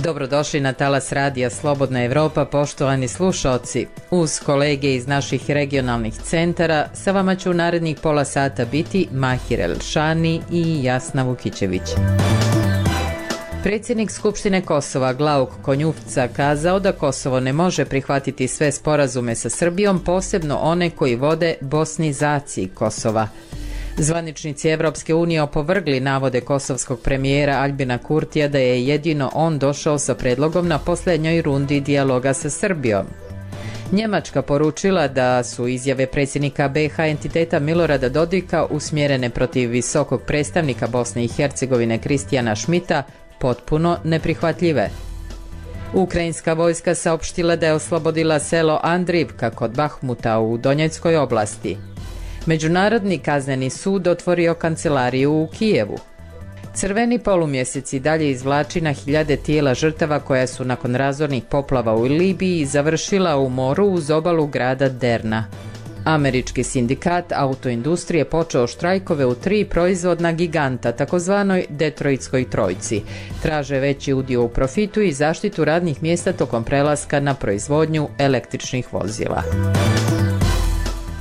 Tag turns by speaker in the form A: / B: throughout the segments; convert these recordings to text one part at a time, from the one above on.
A: Dobrodošli na talas radija Slobodna Evropa, poštovani slušaoci. Uz kolege iz naših regionalnih centara sa vama će u narednih pola sata biti Mahir Elšani i Jasna Vukićević. Predsjednik Skupštine Kosova Glauk Konjufca kazao da Kosovo ne može prihvatiti sve sporazume sa Srbijom, posebno one koji vode bosnizaciji Kosova. Zvaničnici Evropske unije opovrgli navode kosovskog premijera Aljbina Kurtija da je jedino on došao sa predlogom na posljednjoj rundi dijaloga sa Srbijom. Njemačka poručila da su izjave predsjednika BiH entiteta Milorada Dodika usmjerene protiv visokog predstavnika Bosne i Hercegovine Kristijana Šmita potpuno neprihvatljive. Ukrajinska vojska saopštila da je oslobodila selo Andrivka kod Bahmuta u Donjeckoj oblasti. Međunarodni kazneni sud otvorio kancelariju u Kijevu. Crveni polumjesec i dalje izvlači na hiljade tijela žrtava koja su nakon razornih poplava u Libiji završila u moru uz obalu grada Derna. Američki sindikat autoindustrije počeo štrajkove u 3 proizvodna giganta, takozvanoj Detroitskoj trojci. Traže veći udio u profitu i zaštitu radnih mjesta tokom prelaska na proizvodnju električnih vozila.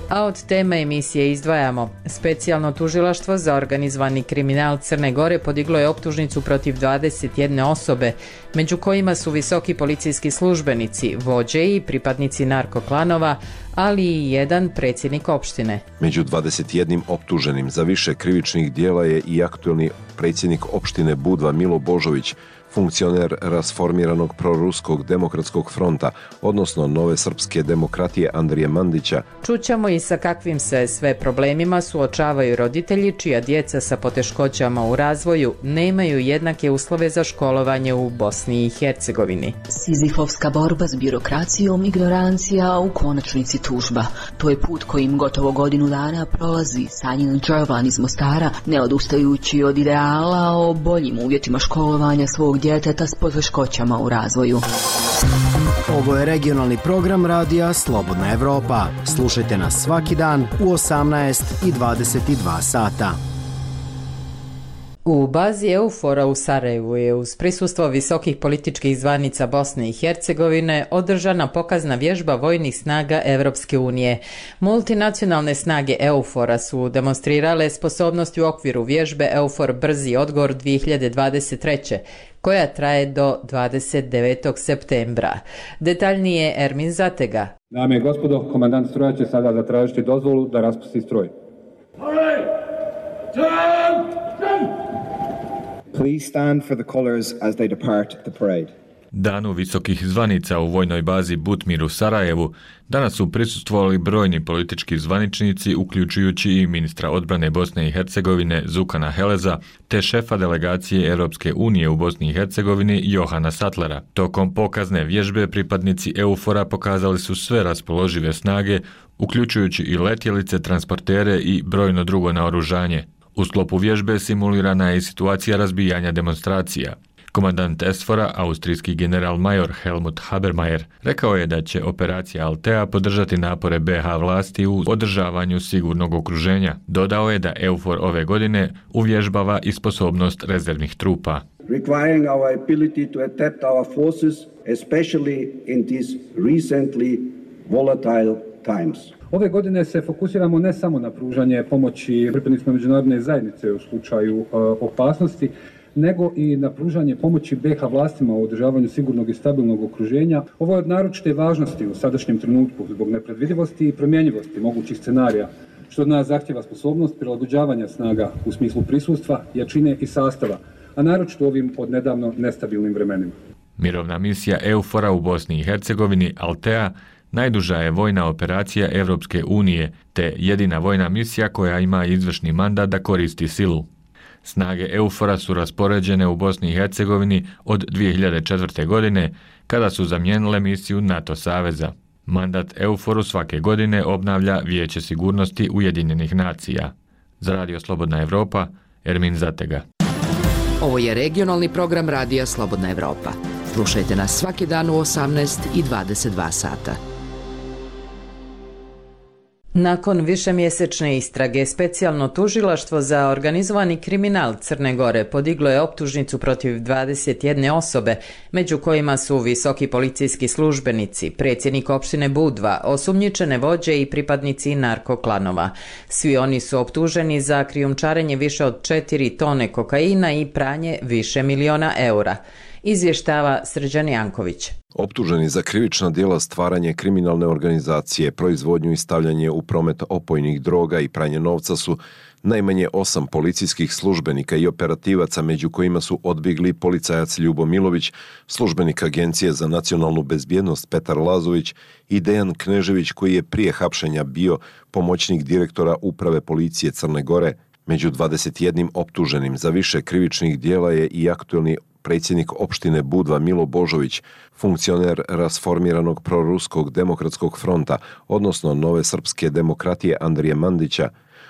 A: A od teme emisije izdvajamo. Specijalno tužilaštvo za organizovani kriminal Crne Gore podiglo je optužnicu protiv 21 osobe, među kojima su visoki policijski službenici, vođe i pripadnici narkoklanova, ali i jedan predsjednik opštine.
B: Među 21 optuženim za više krivičnih djela je i aktuelni predsjednik opštine Budva Milo Božović, funkcioner rasformiranog proruskog demokratskog fronta, odnosno Nove srpske demokratije Andrije Mandića.
A: Čućemo i sa kakvim se sve problemima suočavaju roditelji čija djeca sa poteškoćama u razvoju nemaju jednake uslove za školovanje u Bosni i Hercegovini.
C: Sizifovska borba s birokracijom, ignorancija, a u konačnici tužba. To je put kojim gotovo godinu dana prolazi Sanjin Đervan iz Mostara, ne odustajući od ideala o boljim uvjetima školovanja svog djeteta s poteškoćama u razvoju.
D: Ovo je regionalni program radija Slobodna Evropa. Slušajte nas svaki dan u 18 i 22 sata.
A: U bazi EUFOR-a u Sarajevu je uz prisustvo visokih političkih zvanica Bosne i Hercegovine održana pokazna vježba vojnih snaga Evropske unije. Multinacionalne snage EUFOR-a su demonstrirale sposobnosti u okviru vježbe EUFOR Brzi odgovor 2023. koja traje do 29. septembra. Detaljnije Ermin Zatega.
E: Dame i gospodo, komandant stroja će sada zatražiti dozvolu da raspusti stroj.
F: Please stand for the colors as they depart the parade.
G: Danu visokih zvanica u vojnoj bazi Butmir u Sarajevu danas su prisustvovali brojni politički zvaničnici, uključujući i ministra odbrane Bosne i Hercegovine Zukana Heleza, te šefa delegacije Europske unije u Bosni i Hercegovini Johana Sattlera. Tokom pokazne vježbe pripadnici EUFOR-a pokazali su sve raspoložive snage, uključujući i letjelice, transportere i brojno drugo naoružanje. U sklopu vježbe simulirana je i situacija razbijanja demonstracija. Komandant SFOR-a, austrijski general-major Helmut Habermajer, rekao je da će operacija Altea podržati napore BiH vlasti u održavanju sigurnog okruženja. Dodao je da EUFOR ove godine uvježbava i sposobnost rezervnih trupa.
H: Requiring our ability to adapt our forces, especially in these recently volatile times.
E: Ove godine se fokusiramo ne samo na pružanje pomoći pripadnicima međunarodne zajednice u slučaju opasnosti, nego i na pružanje pomoći BiH vlastima u održavanju sigurnog i stabilnog okruženja. Ovo je od naročite važnosti u sadašnjem trenutku zbog nepredvidivosti i promjenjivosti mogućih scenarija, što od nas zahtjeva sposobnost prilagođavanja snaga u smislu prisustva, jačine i sastava, a naročito u ovim odnedavno nestabilnim vremenima.
G: Mirovna misija EUFOR-a u Bosni i Hercegovini Altea najduža je vojna operacija Europske unije, te jedina vojna misija koja ima izvršni mandat da koristi silu. Snage EUFOR-a su raspoređene u Bosni i Hercegovini od 2004. godine, kada su zamijenile misiju NATO saveza. Mandat EUFOR-u svake godine obnavlja Vijeće sigurnosti Ujedinjenih nacija. Za Radio Slobodna Evropa, Ermin Zatega.
I: Ovo je regionalni program radija Slobodna Evropa. Slušajte nas svaki dan u 18 i 22 sata.
A: Nakon višemjesečne istrage, specijalno tužilaštvo za organizovani kriminal Crne Gore podiglo je optužnicu protiv 21 osobe, među kojima su visoki policijski službenici, predsjednik opštine Budva, osumnjičene vođe i pripadnici narkoklanova. Svi oni su optuženi za krijumčarenje više od 4 tone kokaina i pranje više miliona eura. Izvještava Srđan Janković.
B: Optuženi za krivična djela stvaranje kriminalne organizacije, proizvodnju i stavljanje u promet opojnih droga i pranje novca su najmanje 8 policijskih službenika i operativaca, među kojima su odbjegli policajac Ljubo Milović, službenik Agencije za nacionalnu bezbjednost Petar Lazović i Dejan Knežević, koji je prije hapšenja bio pomoćnik direktora Uprave policije Crne Gore. Među 21 optuženim za više krivičnih djela je i aktuelni predsjednik opštine Budva Milo Božović, funkcioner rasformiranog proruskog demokratskog fronta, odnosno Nove srpske demokratije Andrije Mandića.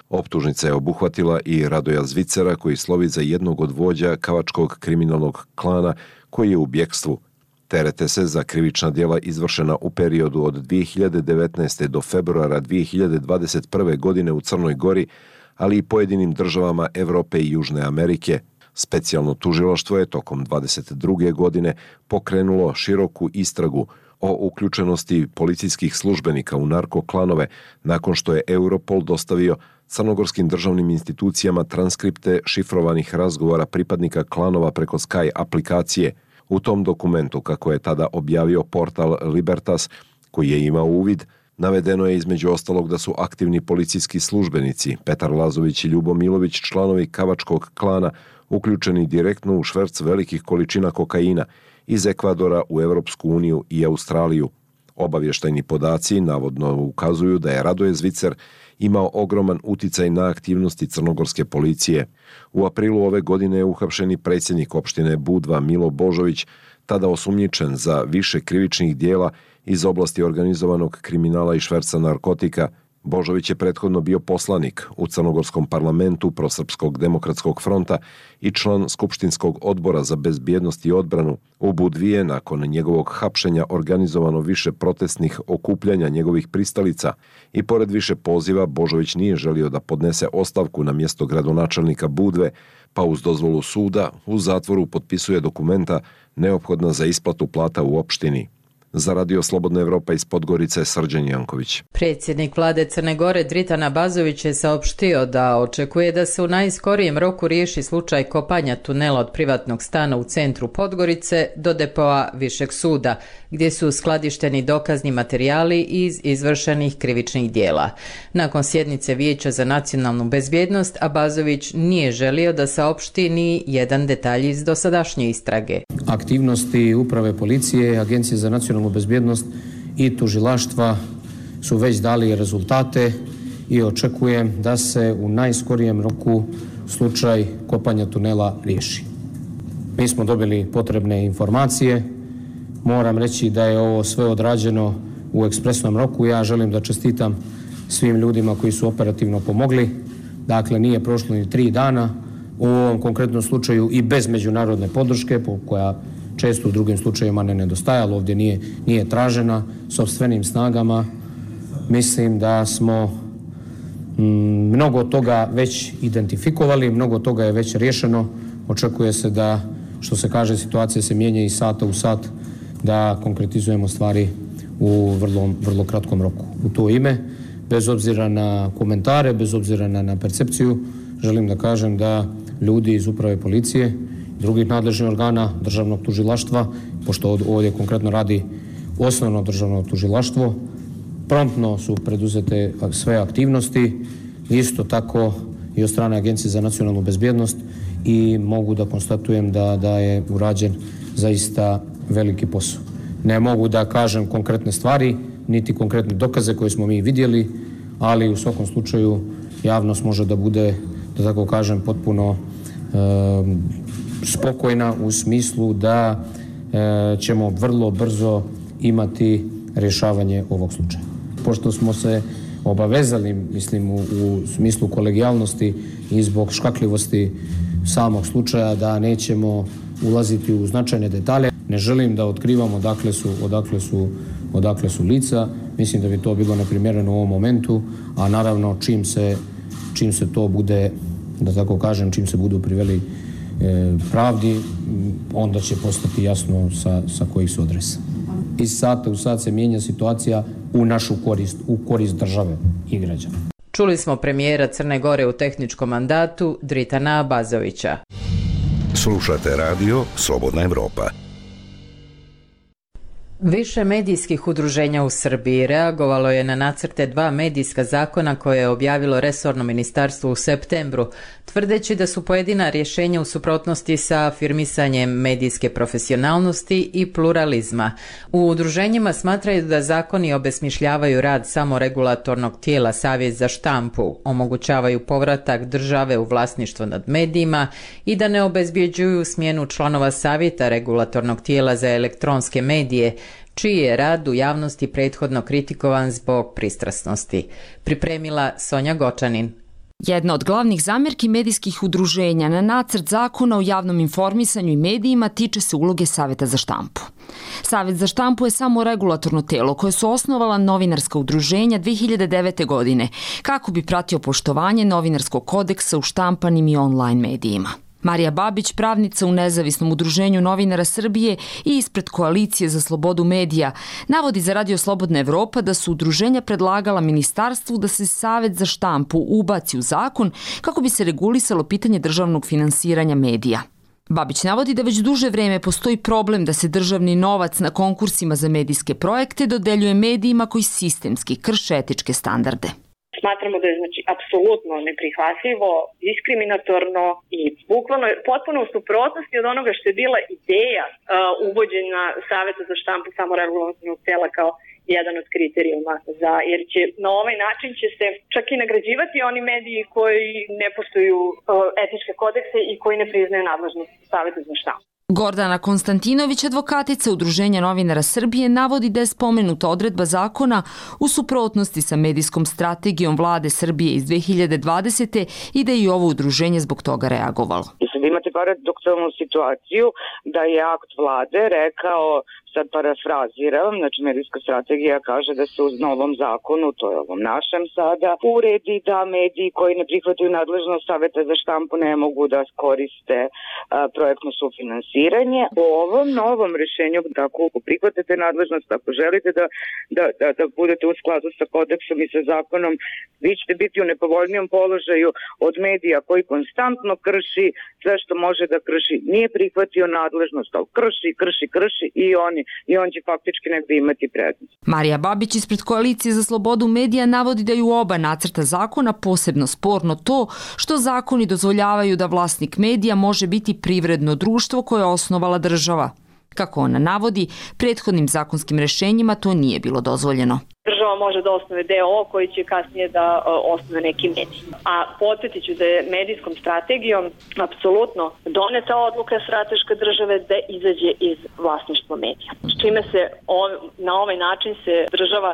B: Optužnica je obuhvatila i Radoja Zvicera, koji slovi za jednog od vođa kavačkog kriminalnog klana koji je u bjekstvu. Terete se za krivična djela izvršena u periodu od 2019. do februara 2021. godine u Crnoj Gori, ali i pojedinim državama Europe i Južne Amerike. Specijalno tužilaštvo je tokom 2022. godine pokrenulo široku istragu o uključenosti policijskih službenika u narkoklanove nakon što je Europol dostavio crnogorskim državnim institucijama transkripte šifrovanih razgovora pripadnika klanova preko Sky aplikacije. U tom dokumentu, kako je tada objavio portal Libertas, koji je imao uvid, navedeno je između ostalog da su aktivni policijski službenici Petar Lazović i Ljubo Milović, članovi kavačkog klana, uključeni direktno u šverc velikih količina kokaina iz Ekvadora u Europsku uniju i Australiju. Obavještajni podaci navodno ukazuju da je Radoje Zvicer imao ogroman uticaj na aktivnosti crnogorske policije. U aprilu ove godine je uhapšeni predsjednik opštine Budva Milo Božović, tada osumnjičen za više krivičnih djela iz oblasti organizovanog kriminala i šverca narkotika. Božović je prethodno bio poslanik u crnogorskom parlamentu Prosrpskog demokratskog fronta i član Skupštinskog odbora za bezbjednost i odbranu. U Budvi je nakon njegovog hapšenja organizovano više protestnih okupljanja njegovih pristalica i pored više poziva Božović nije želio da podnese ostavku na mjesto gradonačelnika Budve, pa uz dozvolu suda u zatvoru potpisuje dokumenta neophodna za isplatu plata u opštini. Za Radio Slobodna Evropa iz Podgorice, Srđan Janković.
A: Predsjednik vlade Crne Gore Dritan Abazović je saopštio da očekuje da se u najskorijem roku riješi slučaj kopanja tunela od privatnog stana u centru Podgorice do depoa Višeg suda, gdje su skladišteni dokazni materijali iz izvršenih krivičnih djela. Nakon sjednice Vijeća za nacionalnu bezbjednost, Abazović nije želio da saopšti ni jedan detalj iz dosadašnje istrage.
J: Aktivnosti Uprave policije, Agencije za nacionalnu bezbjednost i tužilaštva su već dali rezultate i očekujem da se u najskorijem roku slučaj kopanja tunela riješi. Mi smo dobili potrebne informacije. Moram reći da je ovo sve odrađeno u ekspresnom roku. Ja želim da čestitam svim ljudima koji su operativno pomogli. Dakle, nije prošlo ni 3 dana. U ovom konkretnom slučaju i bez međunarodne podrške, koja često u drugim slučajevima ne nedostajala, ovdje nije tražena, sopstvenim snagama. Mislim da smo mnogo toga već identifikovali, mnogo toga je već riješeno. Očekuje se da, što se kaže, situacija se mijenja iz sata u sat, da konkretizujemo stvari u vrlo kratkom roku. U to ime, bez obzira na komentare, bez obzira na percepciju, želim da kažem da ljudi iz Uprave policije, drugih nadležnih organa, državnog tužilaštva, pošto ovdje konkretno radi osnovno državno tužilaštvo, promptno su preduzete sve aktivnosti, isto tako i od strane Agencije za nacionalnu bezbjednost, i mogu da konstatujem da je urađen zaista veliki posao. Ne mogu da kažem konkretne stvari, niti konkretne dokaze koje smo mi vidjeli, ali u svakom slučaju javnost može da bude, da tako kažem, potpuno spokojna u smislu da ćemo vrlo brzo imati rješavanje ovog slučaja. Pošto smo se obavezali, mislim, u smislu kolegijalnosti i zbog škakljivosti samog slučaja, da nećemo ulaziti u značajne detalje. Ne želim da otkrivamo odakle su lica. Mislim da bi to bilo neprimjereno u ovom momentu, a naravno čim se to bude, da tako kažem, čim se budu priveli pravdi, onda će postati jasno sa kojih su adresa. Iz sata u sat se mijenja situacija u našu korist, u korist države i građana.
A: Čuli smo premijera Crne Gore u tehničkom mandatu Dritana Abazovića.
K: Slušate radio Slobodna Evropa.
A: Više medijskih udruženja u Srbiji reagovalo je na nacrte 2 medijska zakona koje je objavilo resorno ministarstvo u septembru, tvrdeći da su pojedina rješenja u suprotnosti sa afirmisanjem medijske profesionalnosti i pluralizma. U udruženjima smatraju da zakoni obesmišljavaju rad samoregulatornog tijela Savjet za štampu, omogućavaju povratak države u vlasništvo nad medijima i da ne obezbjeđuju smjenu članova Savjeta regulatornog tijela za elektronske medije, čiji je rad u javnosti prethodno kritikovan zbog pristrasnosti. Pripremila Sonja Gočanin.
L: Jedna od glavnih zamjerki medijskih udruženja na nacrt zakona o javnom informisanju i medijima tiče se uloge Savjeta za štampu. Savjet za štampu je samo regulatorno telo koje su osnovala novinarska udruženja 2009. godine kako bi pratio poštovanje novinarskog kodeksa u štampanim i online medijima. Marija Babić, pravnica u Nezavisnom udruženju novinara Srbije i ispred Koalicije za slobodu medija, navodi za Radio Slobodna Evropa da su udruženja predlagala ministarstvu da se Savjet za štampu ubaci u zakon kako bi se regulisalo pitanje državnog finansiranja medija. Babić navodi da već duže vrijeme postoji problem da se državni novac na konkursima za medijske projekte dodeljuje medijima koji sistemski krše etičke standarde.
M: Smatramo da je apsolutno neprihvatljivo, diskriminatorno i bukvalno potpuno u suprotnosti od onoga što je bila ideja uvođenja Savjeta za štampu samoregulatornog tela kao jedan od kriterijuma, jer će na ovaj način će se čak i nagrađivati oni mediji koji ne poštuju etičke kodekse i koji ne priznaju nadležnost Savjeta za štampu.
L: Gordana Konstantinović, advokatica Udruženja novinara Srbije, navodi da je spomenuta odredba zakona u suprotnosti sa medijskom strategijom vlade Srbije iz 2020. i da je i ovo udruženje zbog toga reagovalo.
N: Sad imate paradoksalnu situaciju da je akt vlade rekao, sad parafraziram, znači medijska strategija kaže da se uz novom zakonu, to je ovom našem sada, uredi da mediji koji ne prihvataju nadležnost Savjeta za štampu ne mogu da koriste projektno sufinansiranje. Po ovom novom rješenju, ako prihvatate nadležnost, ako želite da budete u skladu sa kodeksom i sa zakonom, vi ćete biti u nepovoljnijem položaju od medija koji konstantno krši sve što može da krši. Nije prihvatio nadležnost, ali krši i on će faktički negdje imati prednost.
L: Marija Babić ispred Koalicije za slobodu medija navodi da je u oba nacrta zakona posebno sporno to što zakoni dozvoljavaju da vlasnik medija može biti privredno društvo koje je osnovala država. Kako ona navodi, prethodnim zakonskim rješenjima to nije bilo dozvoljeno.
M: Država može da osnuje DO koji će kasnije da osnuje neki medij. A podsjetit ću da je medijskom strategijom apsolutno doneta odluka strateške države da izađe iz vlasništva medija. S čime se na ovaj način se država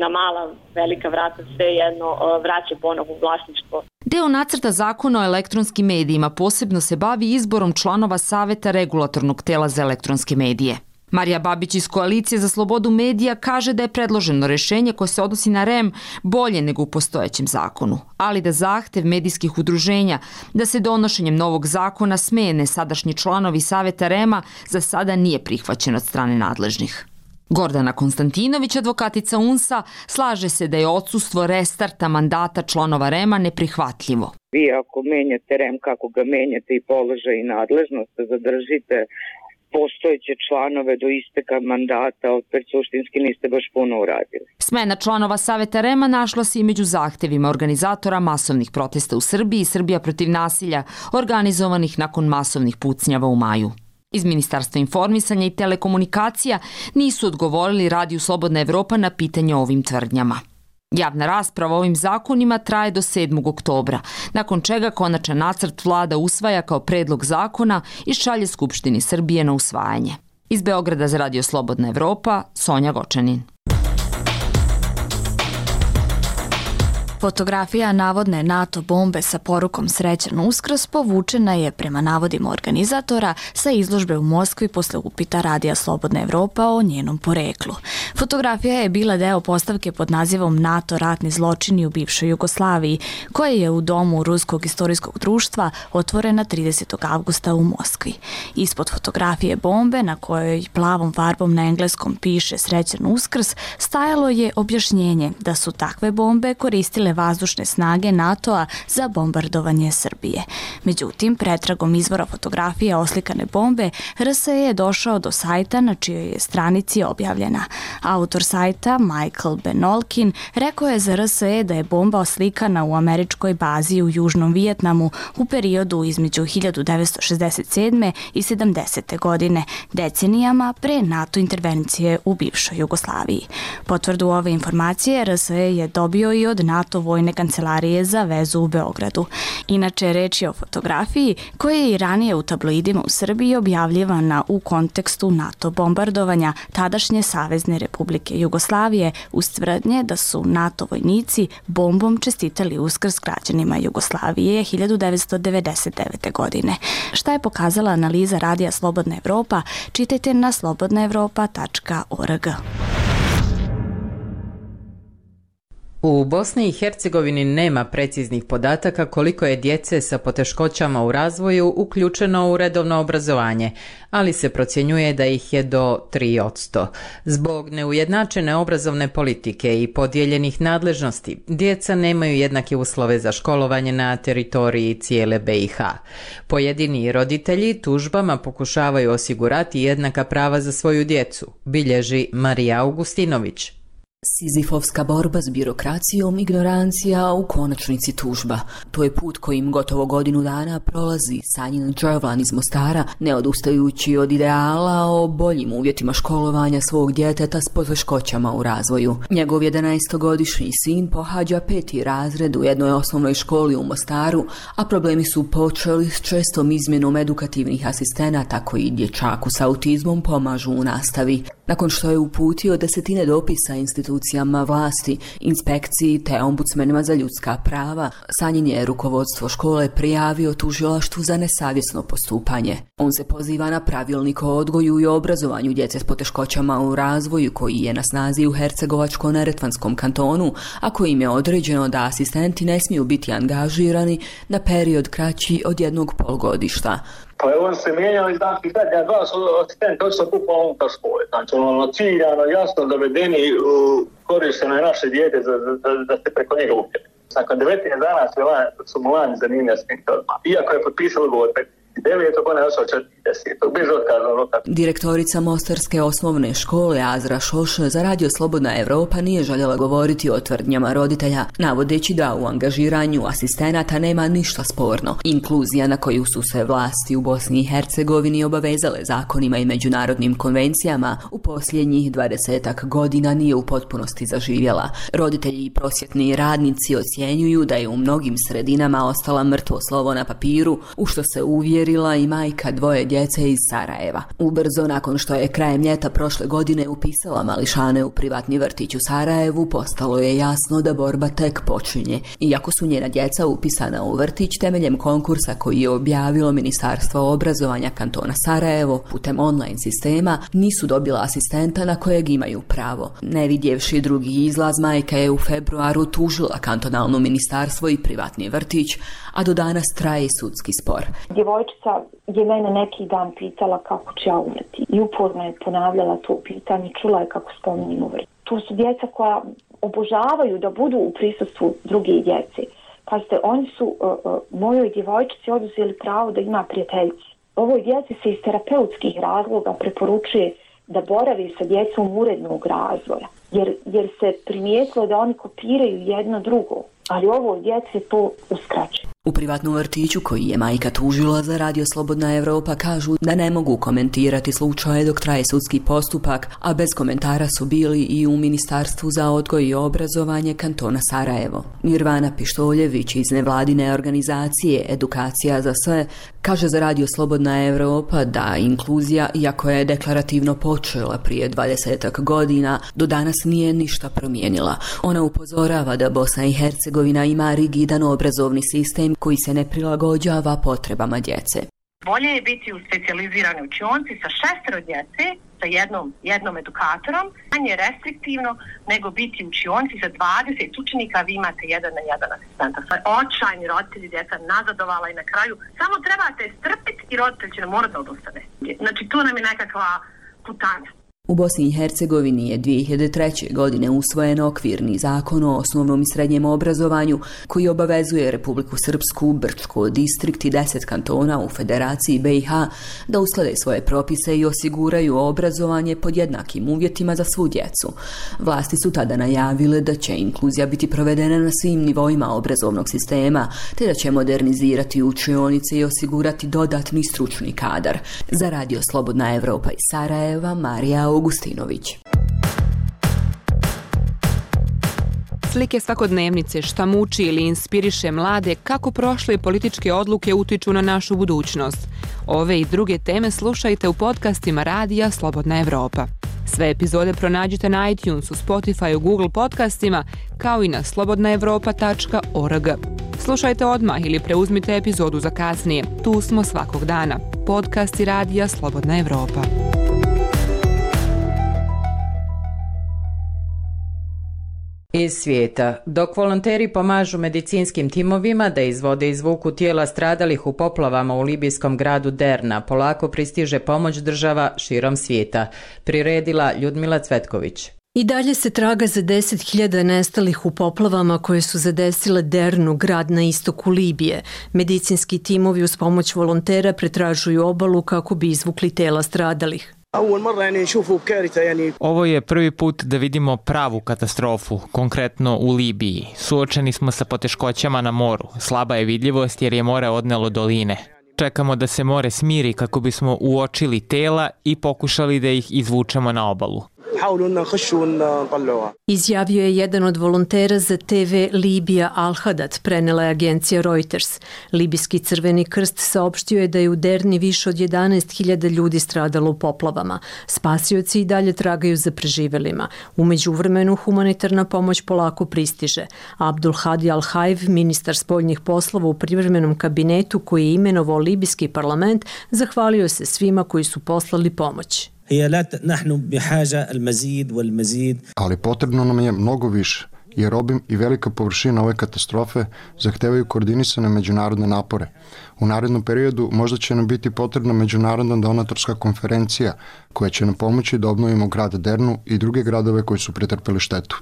M: na mala, velika vrata svejedno vraća ponovo u vlasništvo.
L: Deo nacrta zakona o elektronskim medijima posebno se bavi izborom članova Savjeta regulatornog tela za elektronske medije. Marija Babić iz Koalicije za slobodu medija kaže da je predloženo rješenje koje se odnosi na REM bolje nego u postojećem zakonu, ali da zahtev medijskih udruženja da se donošenjem novog zakona smijene sadašnji članovi Savjeta REM-a za sada nije prihvaćen od strane nadležnih. Gordana Konstantinović, advokatica UNS-a, slaže se da je odsustvo restarta mandata članova REM-a neprihvatljivo.
N: Vi ako menjate REM kako ga menjate i položaj i nadležnost, zadržite postojeće članove do isteka mandata, opet suštinski niste baš puno uradili.
L: Smena članova Savjeta REM-a našla se i među zahtevima organizatora masovnih protesta u Srbiji i Srbija protiv nasilja, organizovanih nakon masovnih pucnjava u maju. Iz Ministarstva informisanja i telekomunikacija nisu odgovorili Radiju Slobodna Evropa na pitanje o ovim tvrdnjama. Javna rasprava o ovim zakonima traje do 7. oktobra, nakon čega konačan nacrt vlada usvaja kao predlog zakona i šalje Skupštini Srbije na usvajanje. Iz Beograda za Radio Slobodna Evropa, Sonja Gočanin.
O: Fotografija navodne NATO bombe sa porukom Srećan Uskrs povučena je, prema navodima organizatora, sa izložbe u Moskvi posle upita Radija Slobodna Evropa o njenom poreklu. Fotografija je bila deo postavke pod nazivom NATO ratni zločini u bivšoj Jugoslaviji, koja je u domu Ruskog istorijskog društva otvorena 30. avgusta u Moskvi. Ispod fotografije bombe, na kojoj plavom farbom na engleskom piše Srećan Uskrs, stajalo je objašnjenje da su takve bombe koristile vazdušne snage NATO-a za bombardovanje Srbije. Međutim, pretragom izvora fotografije oslikane bombe, RSE je došao do sajta na čijoj je stranici objavljena. Autor sajta, Michael Benolkin, rekao je za RSE da je bomba oslikana u američkoj bazi u Južnom Vijetnamu u periodu između 1967. i 70. godine, decenijama pre NATO intervencije u bivšoj Jugoslaviji. Potvrdu ove informacije RSE je dobio i od NATO vojne kancelarije za vezu u Beogradu. Inače, reč je o fotografiji koja je i ranije u tabloidima u Srbiji objavljivana u kontekstu NATO bombardovanja tadašnje Savezne Republike Jugoslavije uz tvrdnje da su NATO vojnici bombom čestitali Uskrs građanima Jugoslavije 1999. godine. Šta je pokazala analiza Radija Slobodna Evropa, čitajte na slobodnaevropa.org.
A: U Bosni i Hercegovini nema preciznih podataka koliko je djece sa poteškoćama u razvoju uključeno u redovno obrazovanje, ali se procjenjuje da ih je do 3%. Zbog neujednačene obrazovne politike i podijeljenih nadležnosti, djeca nemaju jednake uslove za školovanje na teritoriji cijele BiH. Pojedini roditelji tužbama pokušavaju osigurati jednaka prava za svoju djecu, bilježi Marija Augustinović.
C: Sizifovska borba s birokracijom, ignorancija, u konačnici tužba. To je put kojim gotovo godinu dana prolazi Sanjin Đervlan iz Mostara, ne odustajući od ideala o boljim uvjetima školovanja svog djeteta s poteškoćama u razvoju. Njegov 11-godišnji sin pohađa 5. razred u jednoj osnovnoj školi u Mostaru, a problemi su počeli s čestom izmjenom edukativnih asistenata koji dječaku s autizmom pomažu u nastavi. Nakon što je uputio desetine dopisa institucijama vlasti, inspekciji te ombudsmenima za ljudska prava, Sanjin je rukovodstvo škole prijavio tužilaštvu za nesavjesno postupanje. On se poziva na pravilnik o odgoju i obrazovanju djece s poteškoćama u razvoju koji je na snazi u Hercegovačko-neretvanskom kantonu, a kojim je određeno da asistenti ne smiju biti angažirani na period kraći od 1 polugodišta.
P: Pa je on se mijenjao i znači zadnja 2 asistenta odšla bukvalno unutar škole. Znači ciljano, jasno dovedeni u korišteno je naše dijete da se preko njega upjeli. Nakon 19 dana su mu lani zanimlja s tim odmah. Iako je potpisao ugovor 9. ona je ošao 40. bez otkaza.
C: Direktorica Mostarske osnovne škole Azra Šoš za Radio Slobodna Evropa nije željela govoriti o tvrdnjama roditelja, navodeći da u angažiranju asistenata nema ništa sporno. Inkluzija na koju su se vlasti u Bosni i Hercegovini obavezale zakonima i međunarodnim konvencijama u posljednjih 20 godina nije u potpunosti zaživjela. Roditelji i prosvjetni radnici ocjenjuju da je u mnogim sredinama ostala mrtvo slovo na papiru, u što se uvjerila i majka 2 djece iz Sarajeva. Ubrzo nakon što je krajem ljeta prošle godine upisala mališane u privatni vrtić u Sarajevu, postalo je jasno da borba tek počinje. Iako su njena djeca upisana u vrtić temeljem konkursa koji je objavilo Ministarstvo obrazovanja kantona Sarajevo putem online sistema, nisu dobila asistenta na kojeg imaju pravo. Ne vidjevši drugi izlaz, majka je u februaru tužila kantonalno ministarstvo i privatni vrtić, a do danas traje sudski spor.
Q: Djevojčica je mene neki dan pitala kako će ja umreti i uporno je ponavljala to pitanje, čula je kako spominjem umreti. Tu su djeca koja obožavaju da budu u prisustvu druge djece. Pazite, oni su mojoj djevojčici oduzeli pravo da ima prijateljice. Ovoj djeci se iz terapeutskih razloga preporučuje da boravi sa djecom urednog razvoja, jer se primijetilo da oni kopiraju jedno drugo, ali ovoj djeci je to uskraćeno.
C: U privatnom vrtiću koji je majka tužila za Radio Slobodna Evropa kažu da ne mogu komentirati slučaje dok traje sudski postupak, a bez komentara su bili i u Ministarstvu za odgoj i obrazovanje kantona Sarajevo. Nirvana Pištoljević iz nevladine organizacije Edukacija za sve kaže za Radio Slobodna Evropa da inkluzija, iako je deklarativno počela prije 20 godina, do danas nije ništa promijenila. Ona upozorava da Bosna i Hercegovina ima rigidan obrazovni sistem koji se ne prilagođava potrebama djece.
R: Bolje je biti u specijaliziranoj učionci sa 6 djece, sa jednom edukatorom, manje restriktivno nego biti u učionci sa 20 učenika, vi imate 1 na 1 asistenta. Očajni roditelji, djeca nazadovala i na kraju samo trebate strpiti i roditelj će nam morati da odustane. Znači tu nam je nekakva putanja.
C: U Bosni i Hercegovini je 2003. godine usvojen okvirni zakon o osnovnom i srednjem obrazovanju koji obavezuje Republiku Srpsku, Brčko distrikt i 10 kantona u Federaciji BiH da usklade svoje propise i osiguraju obrazovanje pod jednakim uvjetima za svu djecu. Vlasti su tada najavile da će inkluzija biti provedena na svim nivoima obrazovnog sistema, te da će modernizirati učionice i osigurati dodatni stručni kadar. Za Radio Slobodna Evropa iz Sarajeva, Marija Augustinović.
S: Slike svakodnevnice, šta muči ili inspiriše mlade, kako prošle političke odluke utiču na našu budućnost. Ove i druge teme slušajte u podcastima Radija Slobodna Evropa. Sve epizode pronađite na iTunesu, Spotifyu, Google podcastima, kao i na slobodnaevropa.org. Slušajte odmah ili preuzmite epizodu za kasnije. Tu smo svakog dana. Podcasti Radija Slobodna Evropa.
A: Iz svijeta. Dok volonteri pomažu medicinskim timovima da izvode i izvuku tijela stradalih u poplavama u libijskom gradu Derna, polako pristiže pomoć država širom svijeta. Priredila Ljudmila Cvetković.
T: I dalje se traga za 10.000 nestalih u poplavama koje su zadesile Dernu, grad na istoku Libije. Medicinski timovi uz pomoć volontera pretražuju obalu kako bi izvukli tela stradalih.
U: Ovo je prvi put da vidimo pravu katastrofu, konkretno u Libiji. Suočeni smo sa poteškoćama na moru. Slaba je vidljivost jer je more odnelo doline. Čekamo da se more smiri kako bismo uočili tela i pokušali da ih izvučemo na obalu.
T: Izjavio je jedan od volontera za TV Libija Al-Hadat, prenela je agencija Reuters. Libijski Crveni krst saopštio je da je u Derni više od 11.000 ljudi stradalo u poplavama. Spasioci i dalje tragaju za preživelima. U međuvremenu humanitarna pomoć polako pristiže. Abdul Hadi Al-Hajv, ministar spoljnih poslova u privremenom kabinetu koji je imenovao libijski parlament, zahvalio se svima koji su poslali pomoć.
V: Ali potrebno nam je mnogo više, jer obim i velika površina ove katastrofe zahtevaju koordinisane međunarodne napore. U narednom periodu možda će nam biti potrebna međunarodna donatorska konferencija koja će nam pomoći da obnovimo grad Dernu i druge gradove koji su pretrpeli štetu.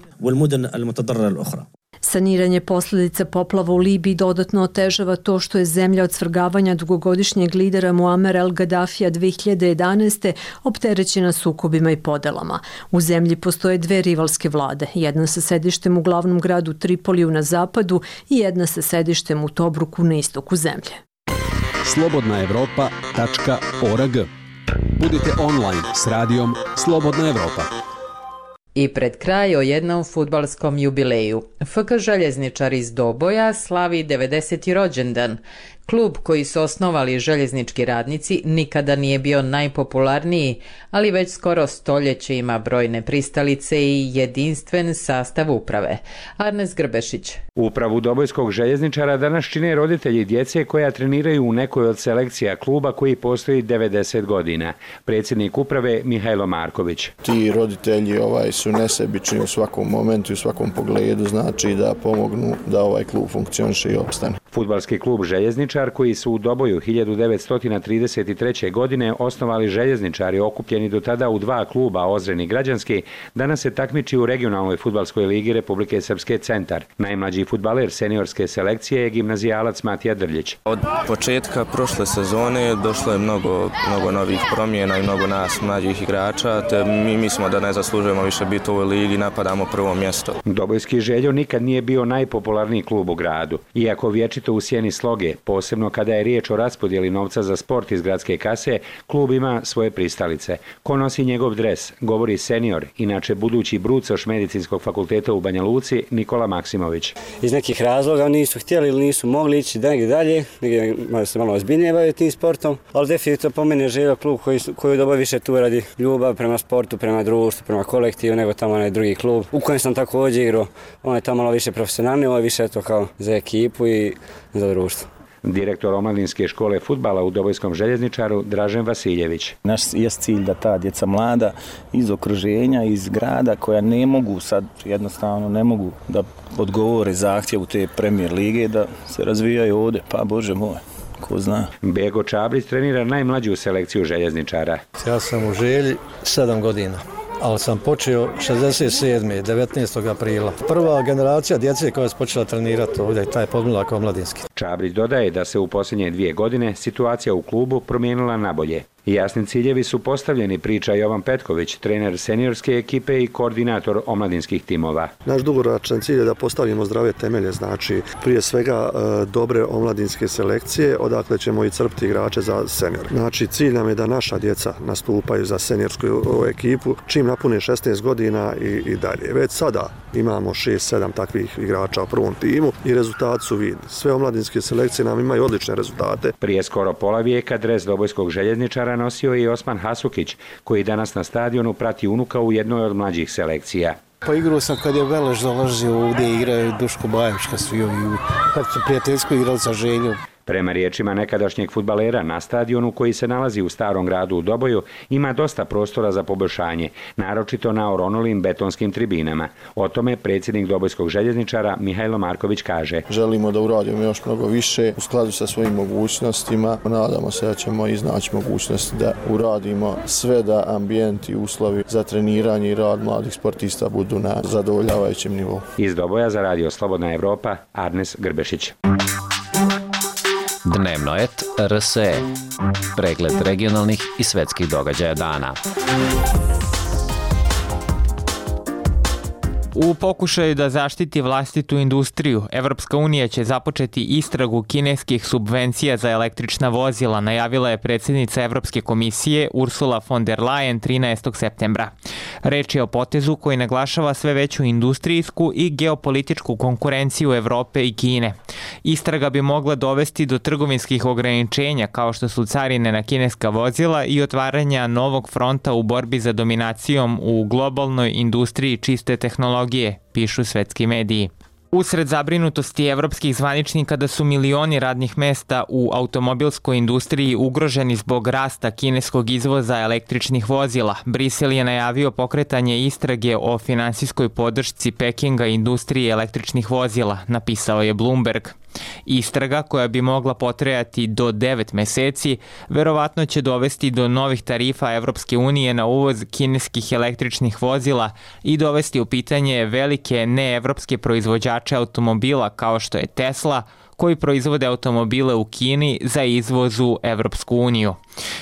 T: Saniranje posljedica poplava u Libiji dodatno otežava to što je zemlja od svrgavanja dugogodišnjeg lidera Muammar el-Gaddafija 2011. opterećena sukobima i podelama. U zemlji postoje dve rivalske vlade, jedna sa sedištem u glavnom gradu Tripoliju na zapadu i jedna sa sedištem u Tobruku na istoku zemlje.
W: slobodnaevropa.org. Budite online s radijom Slobodna Evropa.
A: I pred kraj o jednom fudbalskom jubileju. FK Željezničar iz Doboja slavi 90. rođendan. Klub koji su osnovali željeznički radnici nikada nije bio najpopularniji, ali već skoro stoljeće ima brojne pristalice i jedinstven sastav uprave. Arnes Grbešić.
X: Upravu Dobojskog željezničara danas čine roditelji djece koja treniraju u nekoj od selekcija kluba koji postoji 90 godina. Predsjednik uprave Mihajlo Marković.
Y: Ti roditelji su nesebični u svakom momentu i u svakom pogledu, znači da pomognu da ovaj klub funkcioniše i opstane.
X: Fudbalski klub Željezničar koji su u Doboju 1933. godine osnovali željezničari okupljeni do tada u dva kluba, Ozren i Građanski, danas se takmiči u regionalnoj fudbalskoj ligi Republike Srpske Centar. Najmlađi fudbaler seniorske selekcije je gimnazijalac Matija Drljić.
Z: Od početka prošle sezone došlo je mnogo novih promjena i mnogo nas mlađih igrača, te mi mislimo da ne zaslužujemo više biti u ovoj ligi, napadamo prvo mjesto.
X: Dobojski Željo nikad nije bio najpopularniji klub u gradu. Iako vječito naročito u sjeni sloge, posebno kada je riječ o raspodjeli novca za sport iz gradske kase, klub ima svoje pristalice. Ko nosi njegov dres, govori senior, inače budući brucoš Medicinskog fakulteta u Banja Luci, Nikola Maksimović.
D: Iz nekih razloga nisu htjeli ili nisu mogli ići negdje dalje, negdje se malo ozbiljnije baviti tim sportom, ali definitivno po meni je želio klub koji doba više tu radi ljubav prema sportu, prema društvu, prema kolektivu, nego tamo onaj drugi klub u kojem sam također igrao. On je tamo malo više profesionalni, ovo je više to kao za ekipu i za društvo.
X: Direktor omladinske škole fudbala u Dobojskom željezničaru Dražen Vasiljević.
E: Naš je cilj da ta djeca mlada iz okruženja, iz grada koja ne mogu sad jednostavno ne mogu da odgovore zahtjevu te Premier lige da se razvijaju ovdje, pa Bože moj. Ko zna.
X: Bego Čabrić trenira najmlađu selekciju željezničara.
F: Ja sam u Želji 7 godina, ali sam počeo 67. 19. aprila. Prva generacija djece koja je počela trenirati ovdje, taj podmlak omladinski.
X: Čabrić dodaje da se u posljednje 2 godine situacija u klubu promijenila na bolje. Jasni ciljevi su postavljeni, priča Jovan Petković, trener seniorske ekipe i koordinator omladinskih timova.
G: Naš dugoročan cilj je da postavimo zdrave temelje, znači prije svega dobre omladinske selekcije, odakle ćemo i crpiti igrače za senior. Znači cilj nam je da naša djeca nastupaju za seniorsku ekipu čim napune 16 godina i dalje. Već sada imamo 6-7 takvih igrača u prvom timu i rezultati su vidni. Sve omladinske selekcije nam imaju odlične rezultate.
X: Prije skoro pola vijeka dres Dobojskog željezničara nosio i Osman Hasukić, koji danas na stadionu prati unuka u jednoj od mlađih selekcija.
F: Pa igrao sam kad je Veleš dolazio ovdje, igraju Duško Bajević, kad su prijateljsko igrali sa Željom.
X: Prema riječima nekadašnjeg fudbalera, na stadionu koji se nalazi u Starom gradu u Doboju ima dosta prostora za poboljšanje, naročito na oronulim betonskim tribinama. O tome predsjednik Dobojskog željezničara Mihajlo Marković kaže.
Y: Želimo da uradimo još mnogo više u skladu sa svojim mogućnostima. Nadamo se da ćemo iznaći mogućnost da uradimo sve da ambijent i uslovi za treniranje i rad mladih sportista budu na zadovoljavajućem nivou.
X: Iz Doboja za Radio Slobodna Evropa, Arnes Grbešić.
H: Dnevnoet RSE. Pregled regionalnih i svetskih događaja dana.
U: U pokušaju da zaštiti vlastitu industriju, Evropska unija će započeti istragu kineskih subvencija za električna vozila, najavila je predsjednica Evropske komisije Ursula von der Leyen 13. septembra. Reč je o potezu koji naglašava sve veću industrijsku i geopolitičku konkurenciju Evrope i Kine. Istraga bi mogla dovesti do trgovinskih ograničenja kao što su carine na kineska vozila i otvaranja novog fronta u borbi za dominacijom u globalnoj industriji čiste tehnologije, pišu svetski mediji. Usred zabrinutosti evropskih zvaničnika da su milioni radnih mesta u automobilskoj industriji ugroženi zbog rasta kineskog izvoza električnih vozila, Brisel je najavio pokretanje istrage o finansijskoj podršci Pekinga industriji električnih vozila, napisao je Bloomberg. Istraga, koja bi mogla potrajati do 9 meseci, verovatno će dovesti do novih tarifa Evropske unije na uvoz kineskih električnih vozila i dovesti u pitanje velike neevropske proizvođače automobila kao što je Tesla, koji proizvode automobile u Kini za izvoz u Evropsku uniju.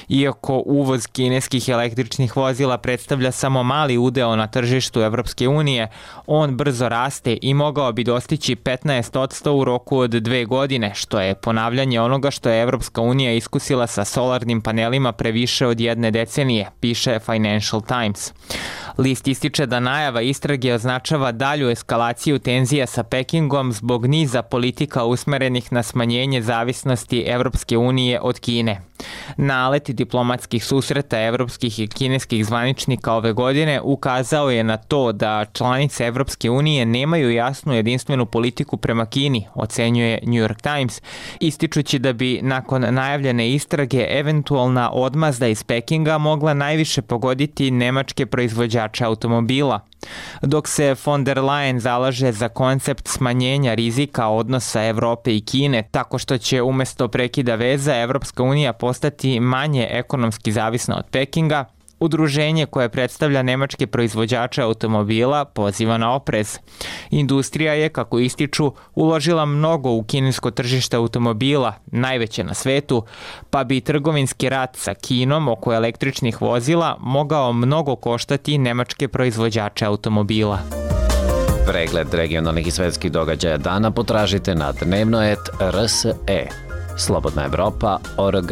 U: Iako uvoz kineskih električnih vozila predstavlja samo mali udeo na tržištu Evropske unije, on brzo raste i mogao bi dostići 15% u roku od 2 godine, što je ponavljanje onoga što je Evropska unija iskusila sa solarnim panelima pre više od 1 decenije, piše Financial Times. List ističe da najava istrage označava dalju eskalaciju tenzija sa Pekingom zbog niza politika usmerenih na smanjenje zavisnosti Evropske unije od Kine. Nalet diplomatskih susreta evropskih i kineskih zvaničnika ove godine ukazao je na to da članice Evropske unije nemaju jasnu jedinstvenu politiku prema Kini, ocenjuje New York Times, ističući da bi nakon najavljene istrage eventualna odmazda iz Pekinga mogla najviše pogoditi nemačke proizvođače automobila. Dok se von der Leyen zalaže za koncept smanjenja rizika odnosa Evrope i Kine tako što će umjesto prekida veza Evropska unija postati manje ekonomski zavisna od Pekinga, udruženje koje predstavlja nemačke proizvođače automobila poziva na oprez. Industrija je, kako ističu, uložila mnogo u kinesko tržište automobila, najveće na svetu, pa bi trgovinski rat sa Kinom oko električnih vozila mogao mnogo koštati nemačke proizvođače automobila.
H: Pregled regionalnih i svetskih događaja dana potražite na dnevnoet.rse. Slobodna Evropa.org.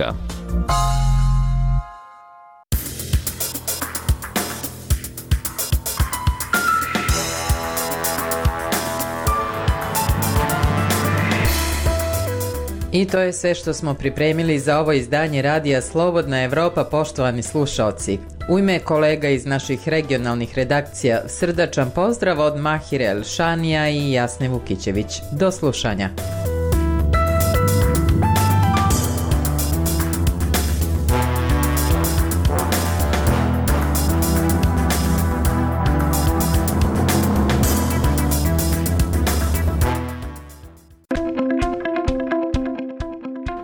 A: I to je sve što smo pripremili za ovo izdanje radija Slobodna Evropa, poštovani slušaoci. U ime kolega iz naših regionalnih redakcija srdačan pozdrav od Mahire Elšanija i Jasne Vukićević. Do slušanja.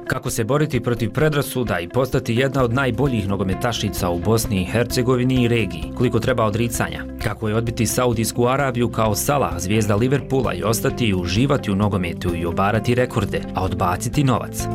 B: Kako se boriti protiv predrasuda i postati jedna od najboljih nogometašica u Bosni i Hercegovini i regiji, koliko treba odricanja, kako je odbiti Saudijsku Arabiju kao Salah, zvijezda Liverpoola, i ostati i uživati u nogometu i obarati rekorde, a odbaciti novac.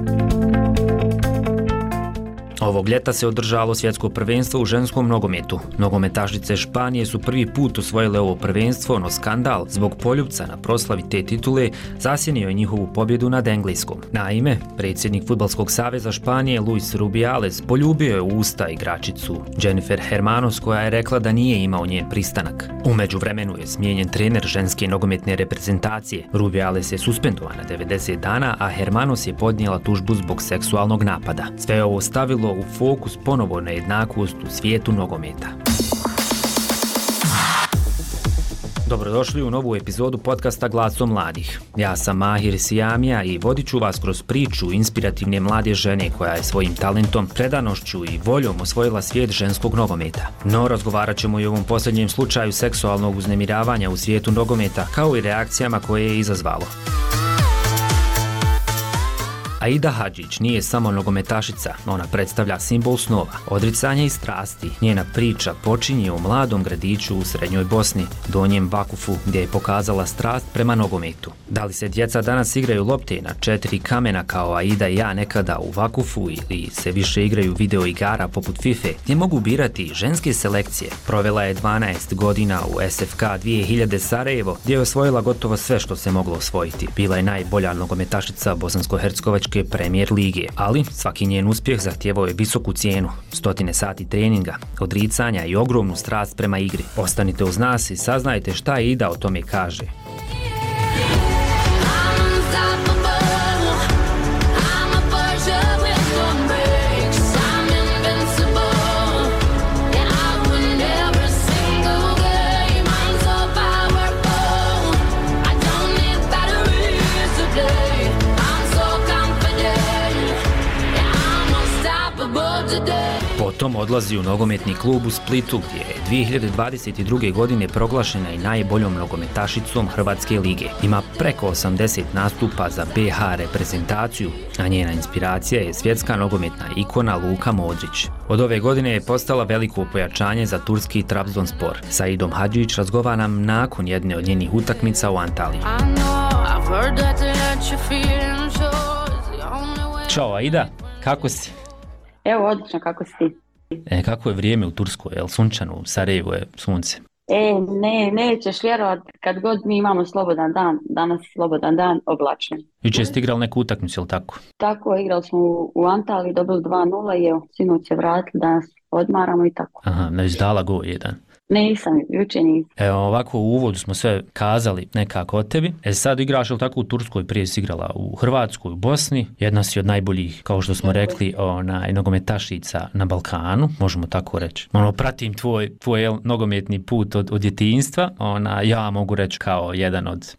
B: Ovog ljeta se održalo svjetsko prvenstvo u ženskom nogometu. Nogometašice Španije su prvi put osvojile ovo prvenstvo, no skandal zbog poljupca na proslavi te titule zasjenio je njihovu pobjedu nad Engleskom. Naime, predsjednik Fudbalskog saveza Španije Luis Rubiales poljubio je u usta igračicu Jennifer Hermanos, koja je rekla da nije imao njen pristanak. U međuvremenu je smijenjen trener ženske nogometne reprezentacije. Rubiales je suspendovan na 90 dana, a Hermanos je podnijela tužbu zbog seksualnog napada. Sve je ovo stavilo u fokus ponovo na jednakost u svijetu nogometa. Dobrodošli u novu epizodu podcasta Glasom mladih. Ja sam Mahir Sijamija i vodit ću vas kroz priču inspirativne mlade žene koja je svojim talentom, predanošću i voljom osvojila svijet ženskog nogometa. No, razgovarat ćemo i o ovom posljednjem slučaju seksualnog uznemiravanja u svijetu nogometa, kao i reakcijama koje je izazvalo. Aida Hadžić nije samo nogometašica, ona predstavlja simbol snova, odricanja i strasti. Njena priča počinje u mladom gradiću u srednjoj Bosni, Donjem Vakufu, gdje je pokazala strast prema nogometu. Da li se djeca danas igraju lopte na 4 kamena kao Aida i ja nekada u Vakufu, ili se više igraju video igara poput FIFA, gdje mogu birati ženske selekcije? Provela je 12 godina u SFK 2000 Sarajevo, gdje je osvojila gotovo sve što se moglo osvojiti. Bila je najbolja nogometašica Bosansko-Hercegovačke Premier lige, ali svaki njen uspjeh zahtijevao je visoku cijenu, 100 sati treninga, odricanja i ogromnu strast prema igri. Ostanite uz nas i saznajte šta Aida o tome kaže. Potom odlazi u nogometni klub u Splitu, gdje je 2022. godine proglašena i najboljom nogometašicom Hrvatske lige. Ima preko 80 nastupa za BH reprezentaciju, a njena inspiracija je svjetska nogometna ikona Luka Modrić. Od ove godine je postala veliko pojačanje za turski Trabzonspor. Sa Aidom Hadžić razgovara nam nakon jedne od njenih utakmica u Antaliji. Ćao Aida, kako si?
I: Evo, odlično, kako si ti?
B: Kako je vrijeme u Turskoj, je li sunčano, u Sarajevu je sunce?
I: Nećeš vjerovat, kad god mi imamo slobodan dan, danas slobodan dan, oblačno.
B: Jučer ste igrali neku utakmicu, je li tako?
I: Tako, igrali smo u Antaliji, dobili 2-0 i evo, sinoć se vratili, danas odmaramo i tako.
B: Aha, ne izdala go jedan.
I: Nisam, jučer nisam.
B: Evo, ovako u uvodu smo sve kazali nekako o tebi. Sad igraš li tako u Turskoj, prije si igrala u Hrvatskoj, u Bosni. Jedna si od najboljih, kao što smo rekli, nogometašica na Balkanu, možemo tako reći. Pratim tvoj nogometni put od djetinjstva. Ja mogu reći kao jedan od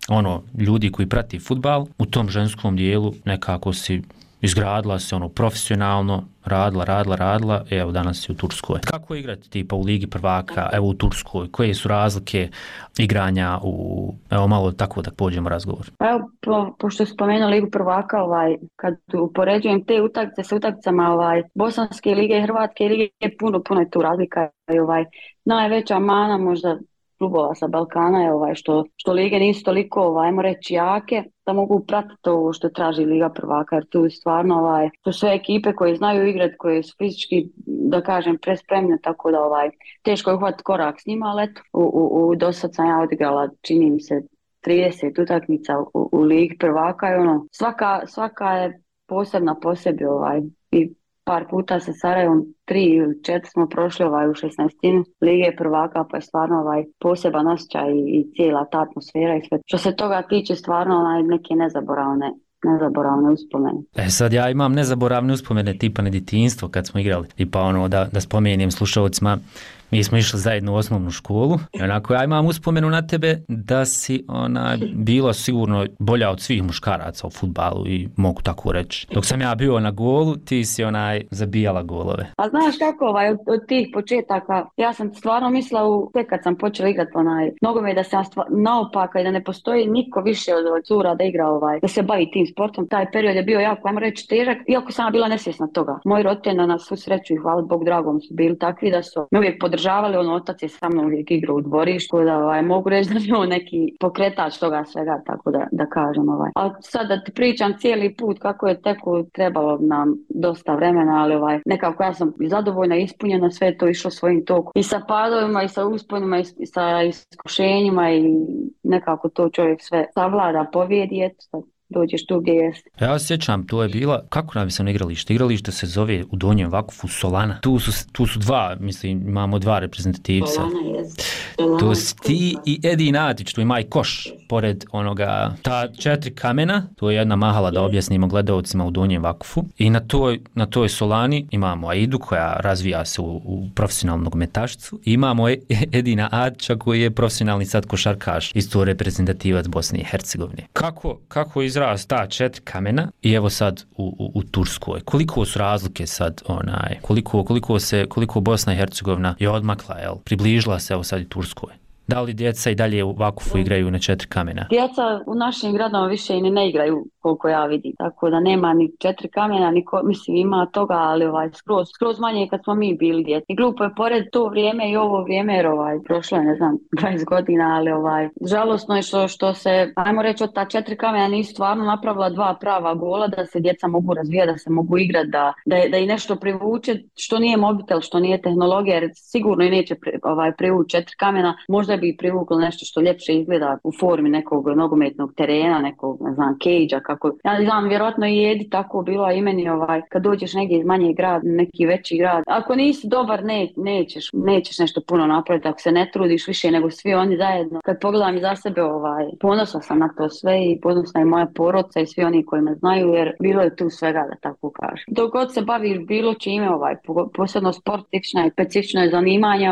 B: ljudi koji prati fudbal. U tom ženskom dijelu nekako si izgradila se profesionalno, radila, evo danas si u Turskoj. Kako je igrati tipa u Ligi prvaka, evo u Turskoj, koje su razlike igranja evo malo tako da pođemo razgovor.
I: Evo, pošto spomenuo Ligu prvaka, kad upoređujem te utakmice sa utakmicama Bosanske lige i Hrvatske lige, puno je tu razlika. Najveća mana možda klubova sa Balkana je što lige nisu toliko, ajmo reći, jake, da mogu pratiti ovo što traži Liga prvaka, jer tu stvarno to sve ekipe koje znaju igrati, koje su fizički, da kažem, prespremne, tako da teško je uhvatiti korak s njima, ali eto, dosad sam ja odigrala, čini mi se, 30 utakmica u Ligi prvaka i ono, svaka je posebna po sebi i par puta sa Sarajevom 3 ili 4 smo prošli u 16. Lige prvaka, pa je stvarno poseban osjećaj i cijela ta atmosfera i sve. Što se toga tiče, stvarno neke nezaboravne uspomene.
B: Sad ja imam nezaboravne uspomene tipa na djetinjstvo kad smo igrali. Tipa ono da spomenem slušalcima, mi smo išli zajedno u osnovnu školu i onako ja imam uspomenu na tebe da si bila sigurno bolja od svih muškaraca u fudbalu i mogu tako reći. Dok sam ja bio na golu, ti si zabijala golove.
I: A znaš kako od tih početaka, ja sam stvarno mislila tek kad sam počela igrati nogomet da sam naopaka i da ne postoji niko više od cura da igra da se bavi tim sportom. Taj period je bio jako, ajmo reći, težak, iako sam bila nesvjesna toga. Moji roditelji na svu sreću i hvala Bog dragom su bili takvi da su me uvijek podržavali, otac je sa mnom uvijek igrao u dvorištu, da mogu reći da je on neki pokretač toga svega, tako da kažem. Ali sad da ti pričam cijeli put kako je teko, trebalo nam dosta vremena, ali nekako ja sam zadovoljna, ispunjena, sve to išlo svojim tokom. I sa padovima, i sa usponima, i sa iskušenjima i nekako to čovjek sve savlada, pobjedi, eto, dođeš tu gdje jeste.
B: Ja se sjećam, to je bila, kako nam se na igralište? Igralište se zove u Donjem Vakufu Solana. Tu su dva, mislim, imamo dva reprezentativca.
I: Solana jest.
B: To si ti i Edi Natić, tu ima i koš pored onoga, ta 4 kamena, to je jedna mahala da objasnimo gledaocima u Donjem Vakufu. I na toj Solani imamo Aidu koja razvija se u profesionalnu nogometašicu. Imamo Edina Natića koji je profesionalni sad košarkaš, isto reprezentativac Bosne i Hercegovine. Kako izraz ta 4 kamena i evo sad u Turskoj. Koliko su razlike sad, koliko Bosna i Hercegovina je odmakla, približila se evo sad i Turskoj? Da li djeca i dalje u Vakufu igraju na 4 kamena?
I: Djeca u našim gradovima više i ne igraju koliko ja vidim, tako da nema ni 4 kamena, mislim ima toga, ali skroz manje kad smo mi bili djeca. I glupo je pored to vrijeme i ovo vrijeme, jer prošlo je, ne znam, 20 godina, ali žalosno je što se, ajmo reći, od ta 4 kamena nisu stvarno napravila 2 prava gola, da se djeca mogu razvijati, da se mogu igrati, da i nešto privuče, što nije mobitel, što nije tehnologija, jer sigurno i neće privući 4 kamena, možda bi privuklo nešto što ljepše izgleda u formi nekog nogometnog terena, nekog, ne znam, cage-a, kako. Ja znam, vjerojatno i Edi tako bilo, i meni kad dođeš negdje iz manjeg grada, neki veći grad. Ako nisi dobar, nećeš nešto puno napraviti, ako se ne trudiš više nego svi oni zajedno. Kad pogledam iza sebe, ponosna sam na to sve i ponosna je moja porodica i svi oni koji me znaju, jer bilo je tu svega, da tako kažem. Dok god se baviš bilo čime, posebno sport, specifično je zanimanje,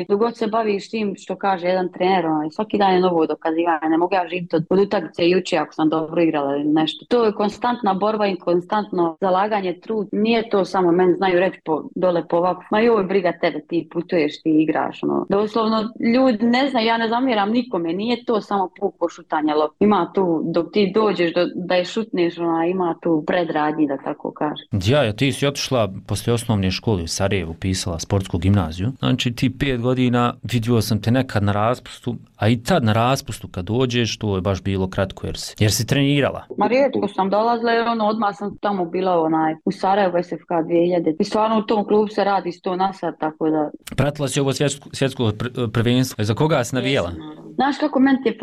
I: dok god se baviš tim što kaže jedan trener, svaki dan je novo dokazivanje, ne mogu ja živjeti od utakmice juče ako sam dobro igrala ili nešto. To je konstantna borba i konstantno zalaganje, trud. Nije to samo, meni znaju reći dole po ovako, ma joj briga tebe, ti putuješ, ti igraš. Doslovno, ljudi ne znaju, ja ne zamjeram nikome, nije to samo puko šutanje lopte. Ima tu, dok ti dođeš da je šutneš, ima tu predradnji, da tako kažem.
B: Ja, ti si otišla poslije osnovne škole u Sarajevu, upisala sportsku gimnaziju. Znači ti 5 godina vidio sam te nekad na raspustu, a i tad na raspustu kad dođeš, to je baš bilo kratko jer si trenirala.
I: Ma rijetko sam dolazila jer odmah sam tamo bila u Sarajevu SFK 2000 i stvarno u tom klubu se radi 100 na sat, tako da...
B: Pratila si ovo svjetsko prvenstvo, za koga si navijela?
I: Znaš kako meni je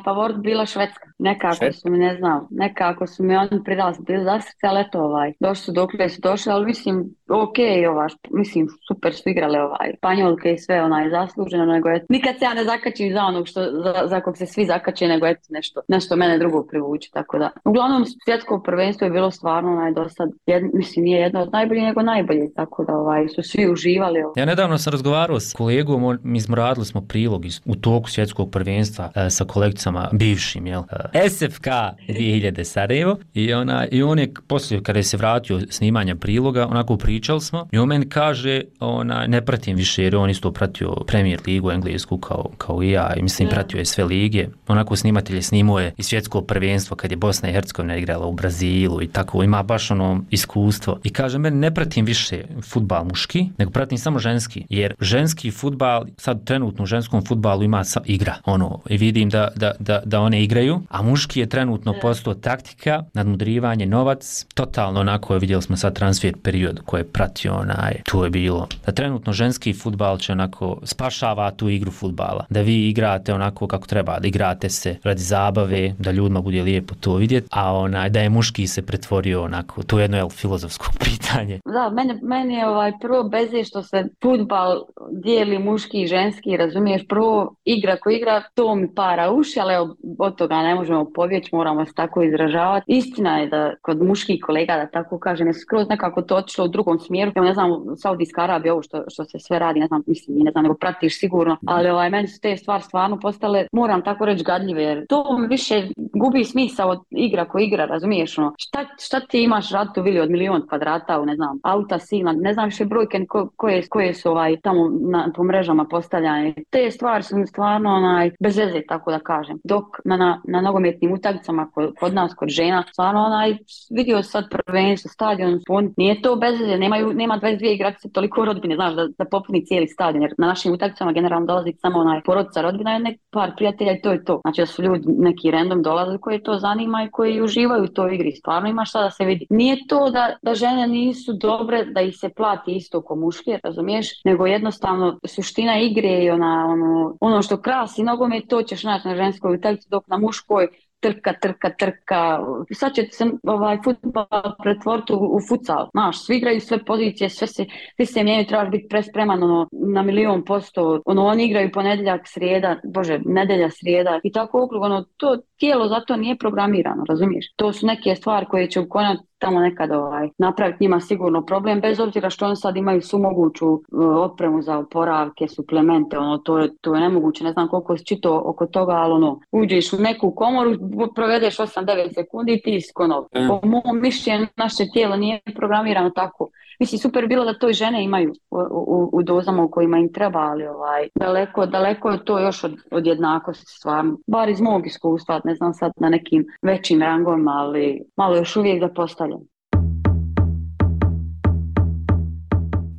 I: favorit bila Švedska. Nekako su mi oni pridali, bili za srce, ali eto došli su dokle su došli, ali mislim mislim super su igrale Španjolke i sve zasluženo, nego nikad se ja ne zakačim za onog za kog se svi zakače, nego nešto mene drugo privuče, tako da. Uglavnom svjetsko prvenstvo je bilo stvarno do sad, mislim nije jedno od najboljih, nego najbolje, tako da su svi uživali.
B: Ja nedavno sam razgovarao s kolegom, mi smo radili prilog u toku svjetskog prvenstva sa kolegicama bivšim, SFK 2000 Sarajevo i on je poslije kada je se vratio snimanja priloga, onako pričali smo i on meni kaže, ne pratim više jer on isto pratio Premier ligu englesku kao i ja i mislim pratio je sve lige, onako snimatelj snimao je i svjetsko prvenstvo kad je Bosna i Hercegovina igrala u Brazilu i tako, ima baš iskustvo i kaže meni ne pratim više fudbal muški, nego pratim samo ženski, jer ženski fudbal, sad trenutno u ženskom fudbalu ima igra. I vidim da one igraju, a muški je trenutno postao taktika, nadmudrivanje, novac, totalno onako, vidjeli smo sad transfer period koji je pratio tu je bilo. Da trenutno ženski fudbal će onako spašava tu igru fudbala. Da vi igrate onako kako treba, da igrate se radi zabave, da ljudima bude lijepo to vidjeti, a da je muški se pretvorio onako, to je jedno filozofsko pitanje.
I: Da, meni je prvo beze što se fudbal dijeli muški i ženski, razumiješ, prvo igra ko igra, to mi para uši, ali od toga ne možemo pobjeći, moramo se tako izražavati. Istina je da kod muških kolega, da tako kažem, je skroz nekako to otišlo u drugom smjeru. Ja ne znam, Saudijska Arabija, ovo što se sve radi, ne znam, nego pratiš sigurno, ali meni su te stvari stvarno postale, moram tako reći, gadljive, jer to mi više gubi smisao od igra ko igra, razumiješ, šta ti imaš raditi u vili od 1.000.000 kvadrata, ne znam, auta silna, ne znam više brojke koje su tamo po mrežama postavljane. Te stvari su stvarno bez veze, tako da kažem. Dok na nogometnim utakmicama kod nas, kod žena, stvarno vidio sad prvenstvo, stadion, nije to bez veze, nema 22 igračice toliko rodbine, znaš, da popuni cijeli stadion, jer na našim utakmicama generalno dolazi samo porodica, rodbina i par prijatelja i to je to. Znači da su ljudi neki random dolaze koji to zanima i koji uživaju u toj igri. Stvarno ima šta da se vidi. Nije to da žene nisu dobre, da ih se plati isto ko muške, razumiješ, nego jednostavno suština igre je ono što krasi nogomet, to ćeš naći na ženskoj utakmici, dok na muškoj trka. Sad će se fudbal pretvoriti u futsal. Znaš, svi igraju sve pozicije, svi se mijenjaju, trebaš biti prespreman na 1.000.000%. Oni igraju ponedjeljak, srijeda, nedjelja, srijeda i tako okrug. To tijelo zato nije programirano, razumiješ? To su neke stvari koje će u konačnici tamo nekad napraviti njima sigurno problem, bez obzira što oni sad imaju svu moguću opremu za oporavke, suplemente, to je nemoguće, ne znam koliko si čitao oko toga, ali uđeš u neku komoru, provedeš 8-9 sekundi i ti si konov. Po mom mišljenju, naše tijelo nije programirano tako. Mislim, super bilo da to i žene imaju u dozama u kojima im treba, ali daleko je to još od jednakosti stvarno. Bar iz mog iskustva, ne znam sad na nekim većim rangovima, ali malo još uvijek da postavljam.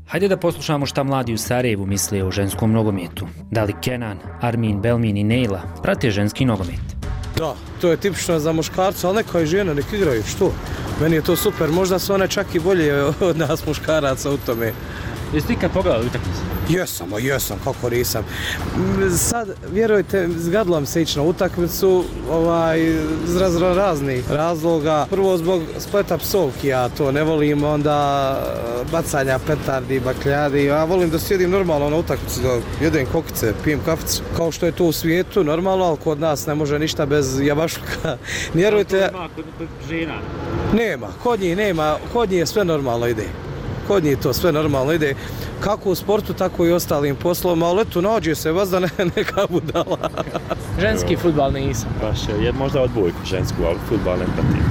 B: Hajde da poslušamo šta mladi u Sarajevu misle o ženskom nogometu. Da li Kenan, Armin, Belmin i Nejla prate ženski nogomet?
J: Da, to je tipično za muškarca, ali neka i žena, nek igraju, što? Meni je to super, možda su one čak i bolje od nas muškaraca u tome.
B: Jesi ti kad pogledali utakmicu?
J: Jesam, kako nisam. Sad, vjerujte, zgadilo mi se ići na utakmicu iz raznih razloga. Prvo zbog spleta psovki, ja to ne volim, onda bacanja petardi, bakljadi. Ja volim da sjedim normalno na utakmici, da jedem kokice, pijem kaficu. Kao što je to u svijetu, normalno, ali kod nas ne može ništa bez jabašluka. Vjerujte...
B: Kod žena?
J: Nema, kod njih nema, kod njih sve normalno ide. Kod njih to sve normalno ide, kako u sportu, tako i ostalim poslovima, ali eto, nađe se vas da neka budala.
K: Ženski fudbal nisam.
L: Baš je možda odbojku žensku, ali fudbal ne pratim.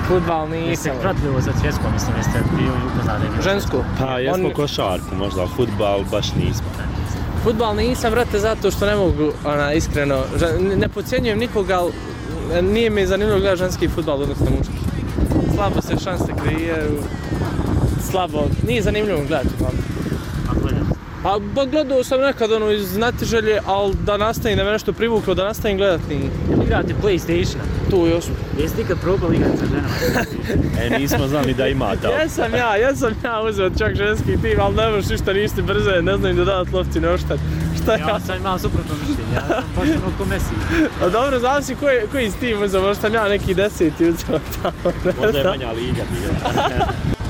K: Fudbal nisam.
B: Jeste pratili za svjetskom, mislim, jeste bio upoznali?
K: Žensku?
L: Pa, jesmo košarku možda, ali fudbal baš nismo.
K: Fudbal nisam, vrate, zato što ne mogu, iskreno, ne podcjenjujem nikoga, ali nije mi zanimljivo gledati ženski fudbal, odnosno muški. Slabo se šanse kreiraju. Slabo, nije zanimljivo gledati. Pa gledao sam nekad iz znatiželje, ali da nastavim, da me nešto privuklo, da nastavim gledati nije.
B: Igrate PlayStation?
K: Tu još.
B: Jesi ti kad probali igrati sa ženama?
L: Nismo znali da imate.
K: Jesam ja uzeo čak ženski tim, ali ne možeš ništa, nisi brze, ne znam im da dati lopci, ne oštati.
B: Ja sam imao suprotno mišljenje, ja sam pošteno ko Messi.
K: A dobro, znam si koji si tim uzeo, možda sam ja neki 10. uzeo tamo.
L: Možda je manja liga.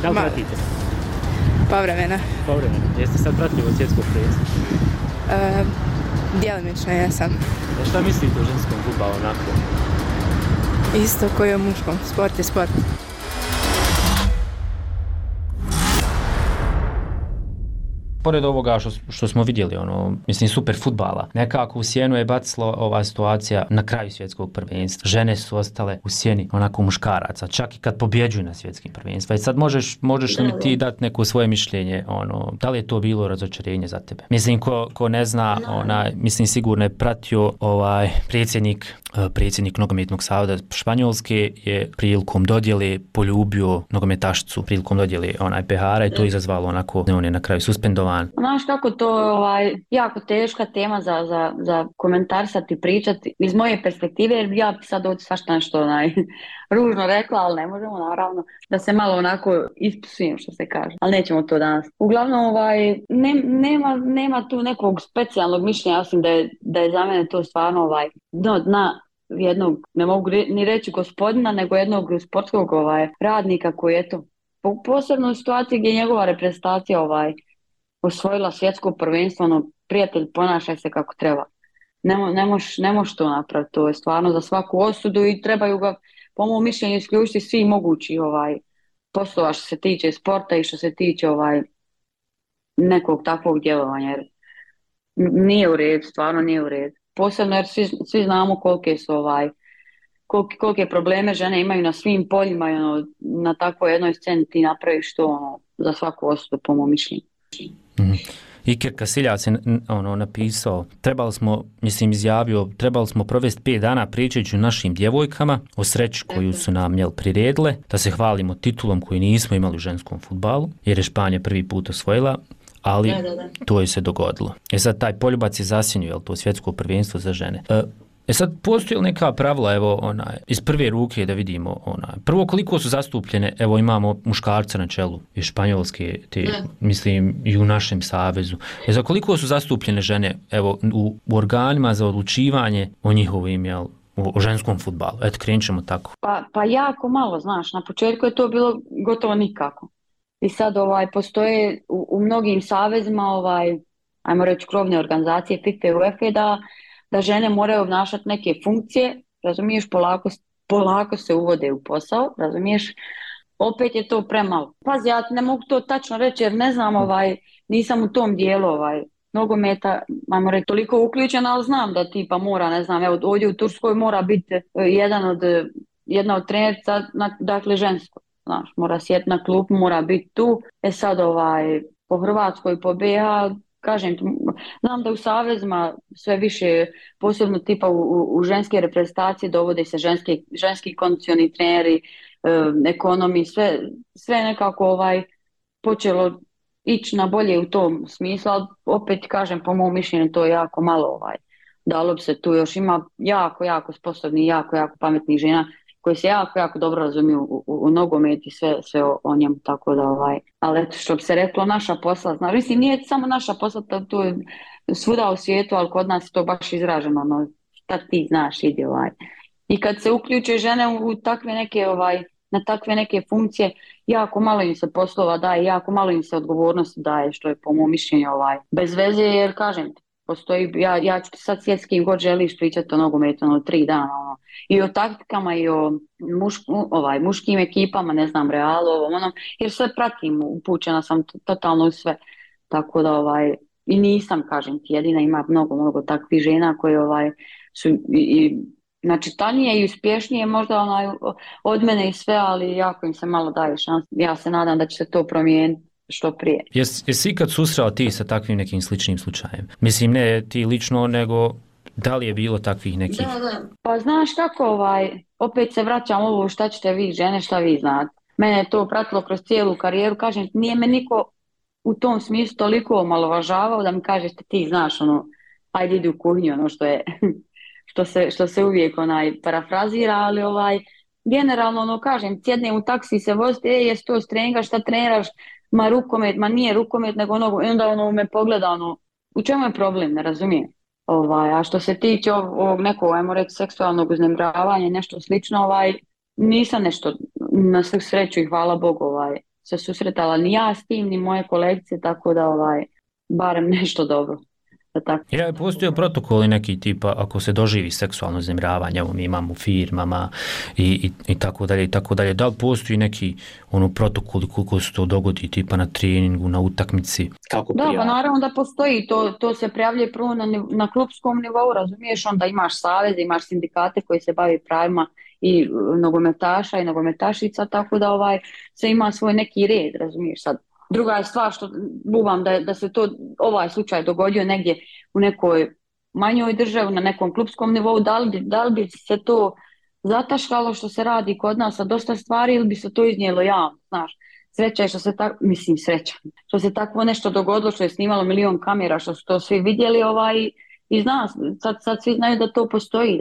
B: Da li pratite?
M: Povremeno.
B: Jeste sad pratili od svjetskog prvenstva?
M: Djelomično jesam.
B: Šta mislite o ženskom fudbalu onako?
M: Isto koji o muškom. Sport je sport.
B: Pored ovoga što smo vidjeli, mislim, super fudbala, nekako u sjenu je bacila ova situacija na kraju svjetskog prvenstva. Žene su ostale u sjeni onako muškaraca, čak i kad pobjeđuju na svjetskim prvenstvima. I sad možeš li mi ti dati neko svoje mišljenje, da li je to bilo razočarenje za tebe? Mislim, ko ne zna, mislim, sigurno je pratio predsjednik nogometnog saveza Španjolske je prilikom dodjele poljubio nogometašicu, prilikom dodjele Behara i to izazvalo onako, on je na kraju suspendovan plan?
I: Znaš kako to jako teška tema za komentarisati i pričati iz moje perspektive, jer ja bi sad ovdje svašta nešto ružno rekla, ali ne možemo naravno da se malo onako ispisujem što se kaže, ali nećemo to danas. Uglavnom nema tu nekog specijalnog mišljenja, osim da je za mene to stvarno dna jednog, ne mogu ni reći gospodina, nego jednog sportskog radnika koji je to posebno u situaciji gdje je njegova reprezentacija osvojila svjetsko prvenstvo, prijatelj, ponašaj se kako treba. Ne možeš to napraviti, to je stvarno za svaku osudu i trebaju ga, po mom mišljenju, isključiti svi mogući poslova što se tiče sporta i što se tiče nekog takvog djelovanja, jer nije u redu, stvarno nije u redu. Posebno jer svi znamo kolike probleme žene imaju na svim poljima i na takvoj jednoj sceni ti napraviš to za svaku osudu, po mom mišljenju.
B: Iker Casillas je napisao, trebali smo provesti 5 dana pričajući o našim djevojkama, o sreći koju su nam priredile, da se hvalimo titulom koju nismo imali u ženskom fudbalu, jer je Španija prvi put osvojila, ali to je se dogodilo. Sad taj poljubac je zasjenio, to svjetsko prvenstvo za žene. Sad postoji li neka pravila, iz prve ruke da vidimo, prvo koliko su zastupljene, imamo muškarca na čelu iz Španjolske, mislim i u našem savezu. Za koliko su zastupljene žene, u organima za odlučivanje o njihovim, o ženskom fudbalu? Krenut ćemo tako.
I: Pa jako malo, znaš, na početku je to bilo gotovo nikako. I sad postoje u mnogim savezima, ajmo reći krovne organizacije FIFA i UEFA da žene moraju obnašati neke funkcije, razumiješ, polako se uvode u posao, razumiješ, opet je to premalo. Pazi, ja ne mogu to tačno reći jer ne znam, nisam u tom dijelu nogometa, ajmo reći, toliko uključena, ali znam da tipa mora, ne znam, ovdje u Turskoj mora biti jedna od trenerica, dakle žensko, znaš, mora sjeti na klupu, mora biti tu. Sad po Hrvatskoj, po BiH, kažem, znam da u savezima sve više, posebno tipa u ženske reprezentacije dovode se ženski kondicioni treneri, ekonomi, sve nekako počelo ići na bolje u tom smislu, ali opet kažem, po mom mišljenju to je jako malo, dalo bi se tu, još ima jako sposobni, jako pametnih žena koji se jako dobro razumiju u nogomet i sve o njemu, tako da ali eto, što bi se reklo, naša posla, znaš, mislim, nije samo naša posla, to je svuda u svijetu, ali kod nas je to baš izraženo, šta ti znaš, ide I kad se uključe žene u takve neke, na takve neke funkcije, jako malo im se poslova daje, jako malo im se odgovornosti daje, što je po mom mišljenju bez veze, jer kažem ti, postoji, ja ću ti sad sjeti s kim god želiš pričati o nogometu 3 dana, i o taktikama i o muškim ekipama, ne znam, Realu, jer sve pratim, upućena sam totalno u sve, tako da i nisam, kažem ti, jedina, ima mnogo takvih žena koje su znači tanije i uspješnije možda od mene i sve, ali jako im se malo daje šans. Ja se nadam da će se to promijeniti što prije.
B: Jesi ikad susreo ti sa takvim nekim sličnim slučajem? Mislim, ne ti lično, nego da li je bilo takvih nekih?
I: Da. Pa znaš kako, opet se vraćam ovo šta ćete vi žene, šta vi znate. Mene je to pratilo kroz cijelu karijeru, kažem, nije me niko u tom smislu toliko omalovažavao da mi kažete ti znaš, ajde idi u kuhinju, što je što se uvijek parafrazira, ali generalno kažem, sjednem u taksi se vozite, jesi to strenga, šta treniraš, ma rukomet, ma nije rukomet, nego i onda me pogleda, u čemu je problem, ne razumijem. A što se tiče ovog nekog, ajmo reći, seksualnog uznemiravanja, nešto slično, nisam nešto, na svu sreću i hvala Bogu, se susretala ni ja s tim, ni moje kolegice, tako da barem nešto dobro.
B: Postoje protokoli neki tipa ako se doživi seksualno uznemiravanje, mi imamo u firmama i tako dalje, da li postoji neki protokoli koliko se to dogodi tipa na treningu, na utakmici?
I: Da, pa naravno da postoji, to se prijavljuje prvo na klupskom nivou, razumiješ, onda imaš savez, imaš sindikate koji se bavi pravima i nogometaša i nogometašica, tako da se ima svoj neki red, razumiješ sad. Druga je stvar što bubam da se to ovaj slučaj dogodio negdje u nekoj manjoj državi, na nekom klupskom nivou, da li bi se to zataškalo što se radi kod nas sa dosta stvari ili bi se to iznijelo javno, znaš. sreća je što se tako, mislim sreća, što se takvo nešto dogodilo, što je snimalo milion kamera, što su to svi vidjeli i zna, sad svi znaju da to postoji,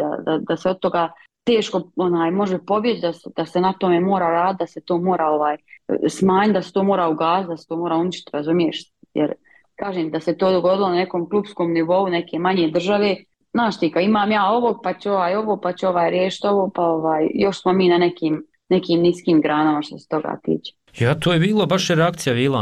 I: da se od toga teško može pobjeći, da se na tome mora raditi, da se to mora smanjiti, da se to mora ugasiti, da se to mora uništiti, razumiješ? Jer kažem da se to dogodilo na nekom klupskom nivou neke manje države, znaš ti, imam ja ovog, pa će ovo, pa će riješiti ovo, pa još smo mi na nekim niskim granama što se toga tiče.
B: Ja, to je bilo, baš je reakcija bila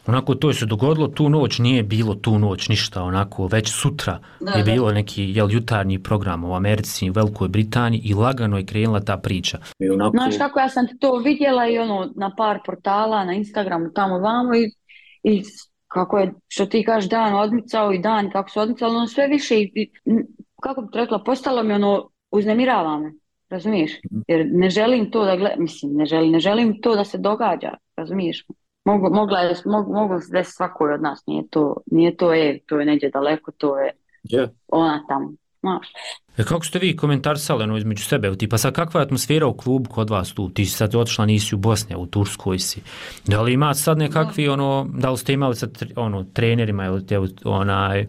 B: onako to je se dogodilo tu noć, nije bilo tu noć ništa, onako već sutra je bilo neki jutarnji program u Americi, u Velikoj Britaniji i lagano je krenula ta priča.
I: Znaš kako ja sam to vidjela i na par portala, na Instagramu, tamo vamo i kako je, što ti kažeš, dan odmicao i dan kako se odmicalo, sve više i kako bi rekla, postalo mi uznemirava me. Razumiješ? Jer ne želim to da gledam, mislim, ne želim to da se događa, razumiješ? Moglo se desiti svakoj od nas, nije to to je neđe daleko, to je ona tamo, znaš.
B: Kako ste vi komentarisali između sebe, tipa sad kakva je atmosfera u klubu kod vas tu, ti si sad otišla, nisi u Bosni, u Turskoj si, da li ima sad nekakvi da li ste imali sad trenerima ili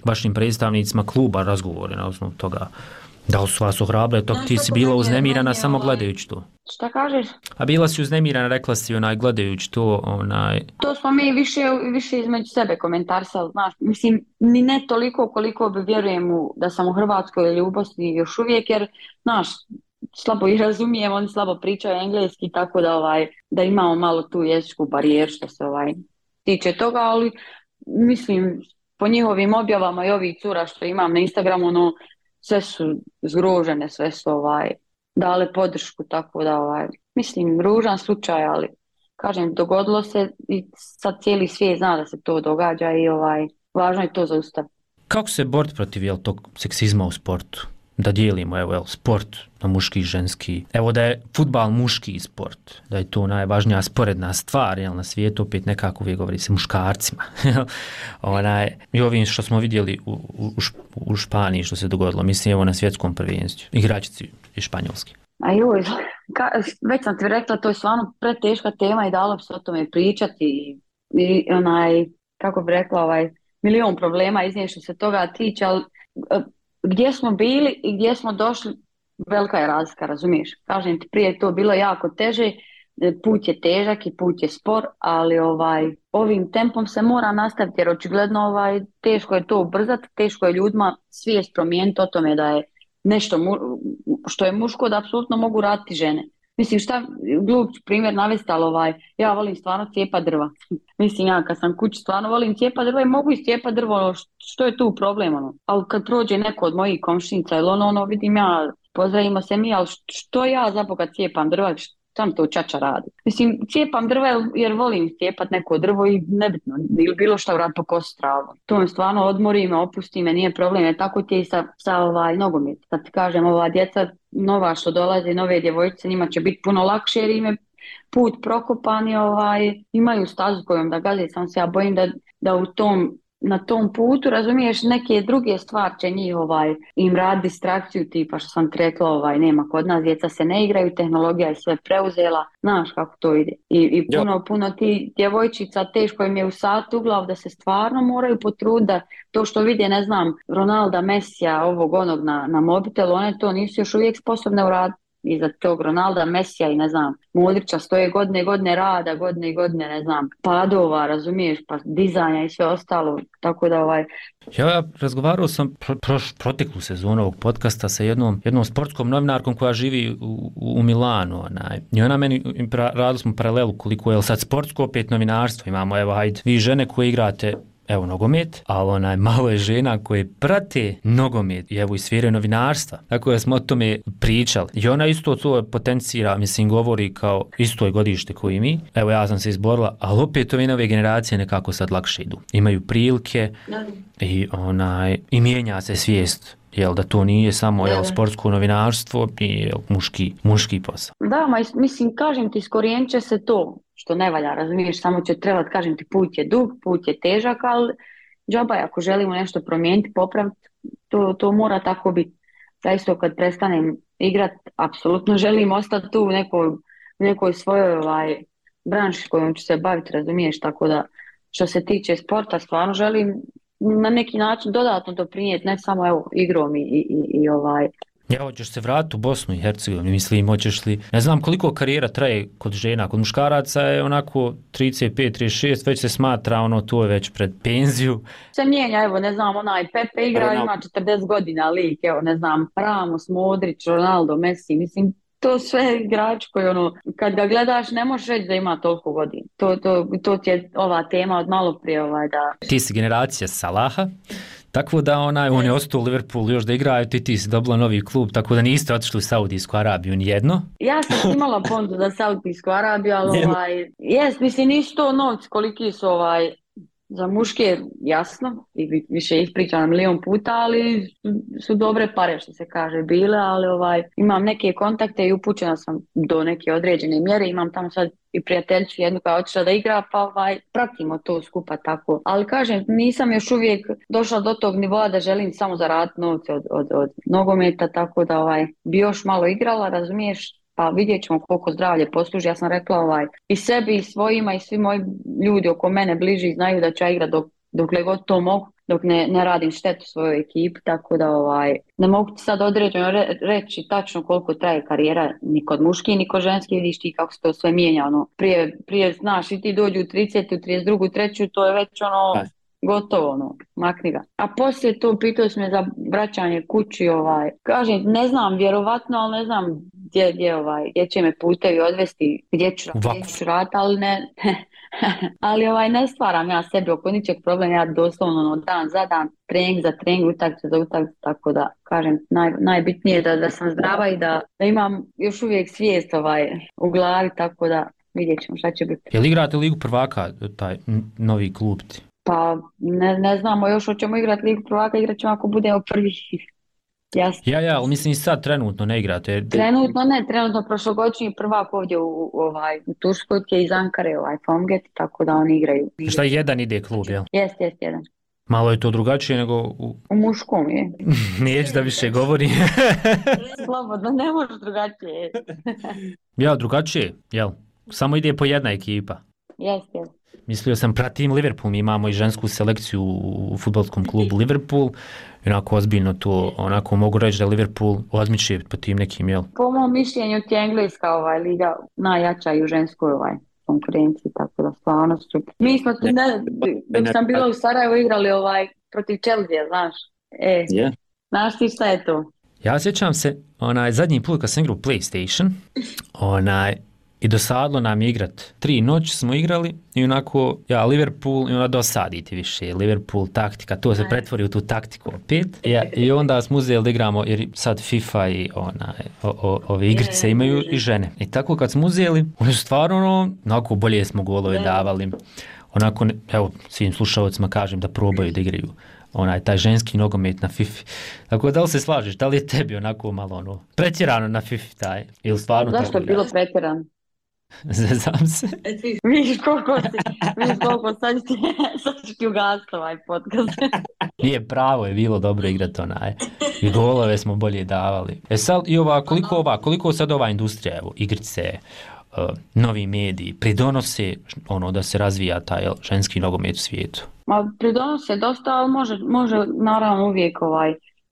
B: vašim predstavnicima kluba razgovore na osnovu toga? Da li su vas ohrabre, ti si bila uznemirana samo gledajući to?
I: Šta kažeš?
B: A bila si uznemirana, rekla si gledajući to,
I: To smo mi više između sebe komentarisali, znaš, mislim, ni ne toliko koliko bi vjerujem da sam u Hrvatskoj ili u Bosni još uvijek, jer, znaš, slabo ih razumijem, oni slabo pričaju engleski, tako da imamo malo tu jezičku barijeru što se tiče toga, ali mislim, po njihovim objavama i ovih cura što imam na Instagramu, sve su zgrožene, sve su dale podršku, tako da mislim, ružan slučaj, ali kažem, dogodilo se i sad cijeli svijet zna da se to događa i važno je to zaustaviti.
B: Kako se boriti protiv tog seksizma u sportu? Da dijelimo sport na muški i ženski. Evo da je fudbal muški sport, da je to najvažnija sporedna stvar na svijetu, opet nekako uvijek govori se muškarcima. I ovim što smo vidjeli u Španiji što se dogodilo, mislim na svjetskom prvenstvu, igračici iz Španjolske.
I: A joj, već sam ti rekla, to je stvarno preteška tema i dalo bi se o tome pričati i kako bi rekla, milion problema iznije što se toga tiče, ali gdje smo bili i gdje smo došli, velika je razlika, razumiješ? Kažem ti, prije to bilo jako teže, put je težak i put je spor, ali ovim tempom se mora nastaviti jer očigledno teško je to ubrzati, teško je ljudima svijest promijeniti o tome da je nešto što je muško da apsolutno mogu raditi žene. Mislim, šta glup primjer navesti, ali ja volim stvarno cijepa drva. Mislim, ja kad sam kući stvarno volim cijepa drva i mogu iscijepa drvo, što je tu problem, Ali kad prođe neko od mojih komšinica ili vidim ja, pozdravimo se mi, ali što ja zaboga cijepam drva, sam to čača radi. Mislim, cijepam drva jer volim cijepat neko drvo i nebitno, ili bilo šta urad po kosu travu. To me stvarno odmori me, opusti me, nije problem, jer tako ti je i sa nogomet. Sad ti kažem, ova djeca nova što dolaze, nove djevojčice, njima će biti puno lakše jer im je put prokopan i imaju stazu kojom da gaze, samo se ja bojim da na tom putu, razumiješ, neke druge stvari će njih im radi distrakciju, tipa što sam ti rekla, nema kod nas, djeca se ne igraju, tehnologija je sve preuzela, znaš kako to ide. I puno ti djevojčica, teško im je u sat u glavu da se stvarno moraju potruditi, to što vide, ne znam, Ronalda, Messija, ovog onog na mobitelu, one to nisu još uvijek sposobne uraditi. Iza tog Ronalda, Messija i ne znam, Modrića stoje godine rada, godine, ne znam, padova, razumiješ, pa dizanja i sve ostalo, tako da
B: Ja razgovarao sam proteklu sezonu ovog podcasta sa jednom sportskom novinarkom koja živi u Milanu, i ona meni, radili smo paralelu koliko je sad sportsko, opet novinarstvo, imamo, vi žene koje igrate nogomet, ali malo je žena koje prate nogomet i sfere novinarstva. Tako da smo o tome pričali. I ona isto to potencira, mislim, govori kao isto je godište koji i mi. Ja sam se izborila, ali opet ove nove generacije nekako sad lakše idu. Imaju prilike i mijenja se svijest. Da to nije samo sportsko novinarstvo i muški posao.
I: Da, mislim, kažem ti, iskorijenit će se to što ne valja, razumiješ, samo će trebati, kažem ti, put je dug, put je težak, ali džaba je, ako želimo nešto promijeniti, popraviti, to mora tako biti. Zaista kad prestanem igrati, apsolutno želim ostati tu u nekoj svojoj branši kojom ću se baviti, razumiješ, tako da što se tiče sporta stvarno želim na neki način dodatno doprinijeti, ne samo evo igrom i
B: Ja, hoćeš se vratiti u Bosnu i Hercegovinu, mislim, hoćeš li, ne znam koliko karijera traje kod žena, kod muškaraca je onako 35-36, već se smatra to je već pred penziju.
I: Se mijenja, evo, ne znam, Pepe igra, ima 40 godina lik, evo, ne znam, Ramos, Modrić, Ronaldo, Messi, mislim, to sve igrač koji kad ga gledaš ne možeš reći da ima toliko godina. To ti je ova tema od malo prije da...
B: Ti si generacija Salaha, tako da on je ostao u Liverpoolu još da igraju, ti si dobila novi klub, tako da niste otišli u Saudijsku Arabiju nijedno.
I: Ja sam imala pondu za Saudijsku Arabiju, ali mislim nisu to novci koliki su za muške, jasno, i više ispričano milion puta, ali su dobre pare što se kaže bile, ali imam neke kontakte i upućena sam do neke određene mjere, imam tamo sad i prijateljicu jednu koja je otišla da igra, pa pratimo to skupa tako. Ali kažem, nisam još uvijek došla do tog nivoa da želim samo zaraditi novce od nogometa, tako da bi još malo igrala, razumiješ, pa vidjet ćemo koliko zdravlje posluži. Ja sam rekla i sebi i svojima i svi moji ljudi oko mene bliži znaju da ću ja igrati dokle god to mogu, dok ne radim štetu svojoj ekipi, tako da ne mogu ti sad određeno reći tačno koliko traje karijera ni kod muški ni kod ženski, vidiš ti kako se to sve mijenja, prije znaš i ti dođu u 30, u 32, 3, to je već gotovo, makni ga. A poslije to pitao sam me za vraćanje kući, kažem, ne znam, vjerovatno, ali ne znam gdje će me putevi odvesti, gdje ću raditi, ali ne, ali ne stvaram ja sebi oko ničeg problema, ja doslovno dan za dan, trening za trening, utakmica za utakmicu, tako da kažem, najbitnije je da sam zdrava i da imam još uvijek svijest u glavi, tako da vidjet ćemo šta će biti.
B: Je li igrate Ligu prvaka, taj novi klub ti?
I: Pa ne znamo još hoćemo igrati Ligu prvaka, igrat ćemo ako budemo prvi. Jasno.
B: Ja, ali mislim i sad trenutno ne igrate.
I: Trenutno prošlogodišnji prvak ovdje u Turskoj je iz Ankare, Fomget, tako da oni igraju.
B: Šta jedan ide klub, jel?
I: Jest, jedan.
B: Malo je to drugačije nego
I: u muškom je.
B: Neću da više govori.
I: Slobodno, ne može drugačije.
B: Ja, drugačije, jel? Samo ide po jedna ekipa.
I: Jest.
B: Mislio sam, pratim Liverpool, mi imamo i žensku selekciju u fudbalskom klubu Liverpool, onako ozbiljno to, onako mogu reći da Liverpool odmiče po tim nekim, jel?
I: Po mom mišljenju ti je engleska liga najjača i u ženskoj konkurenciji, tako da stvarno su. Mi smo, dok sam bila u Sarajevu igrali protiv Chelsea, znaš? Znaš ti šta je to?
B: Ja sjećam se, zadnji put kad sam igrao PlayStation, i dosadlo nam igrat. 3 noći smo igrali i onako, Liverpool, i onda dosaditi više. Liverpool taktika, to se pretvori u tu taktiku opet. I onda smo uzeli da igramo, jer sad FIFA i ove igrice imaju i žene. I tako kad smo uzeli, oni su stvarno, onako bolje smo golove davali. Onako, evo, svim slušalcima kažem da probaju da igraju taj ženski nogomet na FIFA. Tako da li se slažeš, da li je tebi onako malo pretjerano na FIFA taj? Ili stvarno
I: zašto je bilo pretjerano?
B: Zezam se.
I: Vidiš koliko sad ću ti ugasiti ovaj podcast.
B: Nije pravo, je bilo dobro igrati i golove smo bolje davali. Sad i koliko sad ova industrija, evo, igrice, novi mediji, pridonose da se razvija taj ženski nogomet u svijetu?
I: Pridonose dosta, ali može naravno uvijek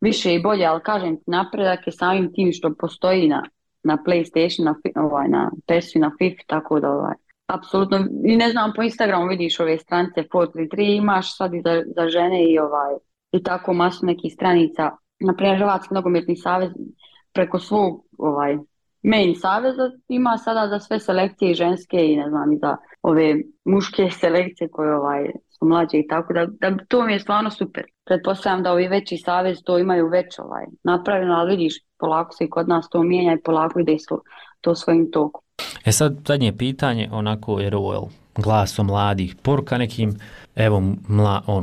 I: više i bolje, ali kažem ti, napredak je samim tim što postoji na PlayStation, na PES-u, na FIFA, tako da apsolutno, i ne znam, po Instagramu vidiš ove stranice 433, imaš sad i za žene i tako masu nekih stranica, naprimjer Hrvatski nogometni savez preko svog main saveza ima sada za sve selekcije ženske i ne znam, i za ove muške selekcije koje su mlađe i tako da to mi je stvarno super. Pretpostavljam da ovi veći savez to imaju već napravljeno, ali vidiš, polako se i kod nas to mijenja i polako ide to svojim tokom.
B: Sad zadnje pitanje, jer ovo glas o mladih, poruka nekim, evo,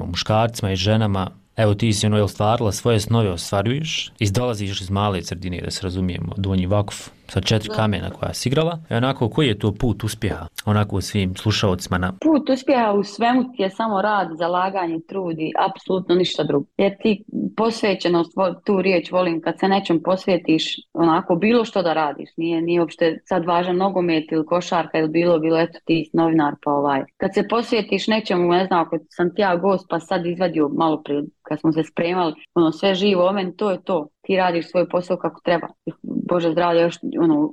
B: muškarcima i ženama, evo ti si ostvarila svoje snove, ostvaruješ, dolaziš iz male sredine, da se razumijemo, Donji Vakuf, sa 4 kamena koja si igrala. I onako, koji je to put uspjeha? Onako svim slušaocima na...
I: Put uspjeha u svemu ti je samo rad, zalaganje, trudi, apsolutno ništa drugo. Jer ti posvećenost, tu riječ volim, kad se nečem posvjetiš, onako bilo što da radiš, nije uopšte sad važan nogomet ili košarka ili bilo, eto ti novinar pa Kad se posvjetiš nečemu, ne znam, ako sam ti ja gost pa sad izvadio malo prije, kad smo se spremali, sve živo o meni, to je to. Ti radiš svoj posao kako treba. Bože zdravlje, još,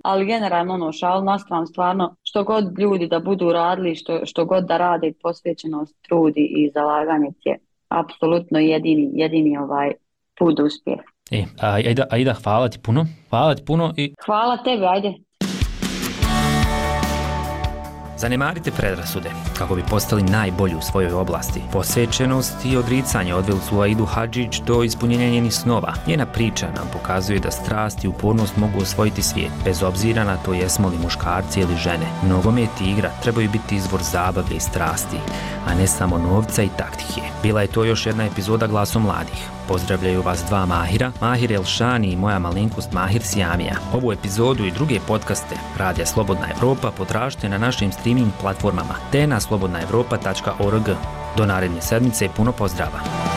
I: ali generalno, šal nastavno, stvarno, što god ljudi da budu radili, što god da rade, posvećenost, trudi i zalaganje je apsolutno jedini put do uspjeha.
B: Aida, hvala ti puno. I...
I: Hvala tebi, ajde.
B: Zanemarite predrasude kako bi postali najbolji u svojoj oblasti. Posvećenost i odricanje odveli su Aidu Hadžić do ispunjenja njenih snova. Njena priča nam pokazuje da strast i upornost mogu osvojiti svijet, bez obzira na to jesmo li muškarci ili žene. Nogomet i igra trebaju biti izvor zabave i strasti, a ne samo novca i taktike. Bila je to još jedna epizoda Glasom mladih. Pozdravljaju vas dva Mahira, Mahir Elšani i moja malenkost Mahir Sjamija. Ovu epizodu i druge podcaste Radija Slobodna Evropa potražite na našim streaming platformama te na slobodnaevropa.org. Do naredne sedmice puno pozdrava.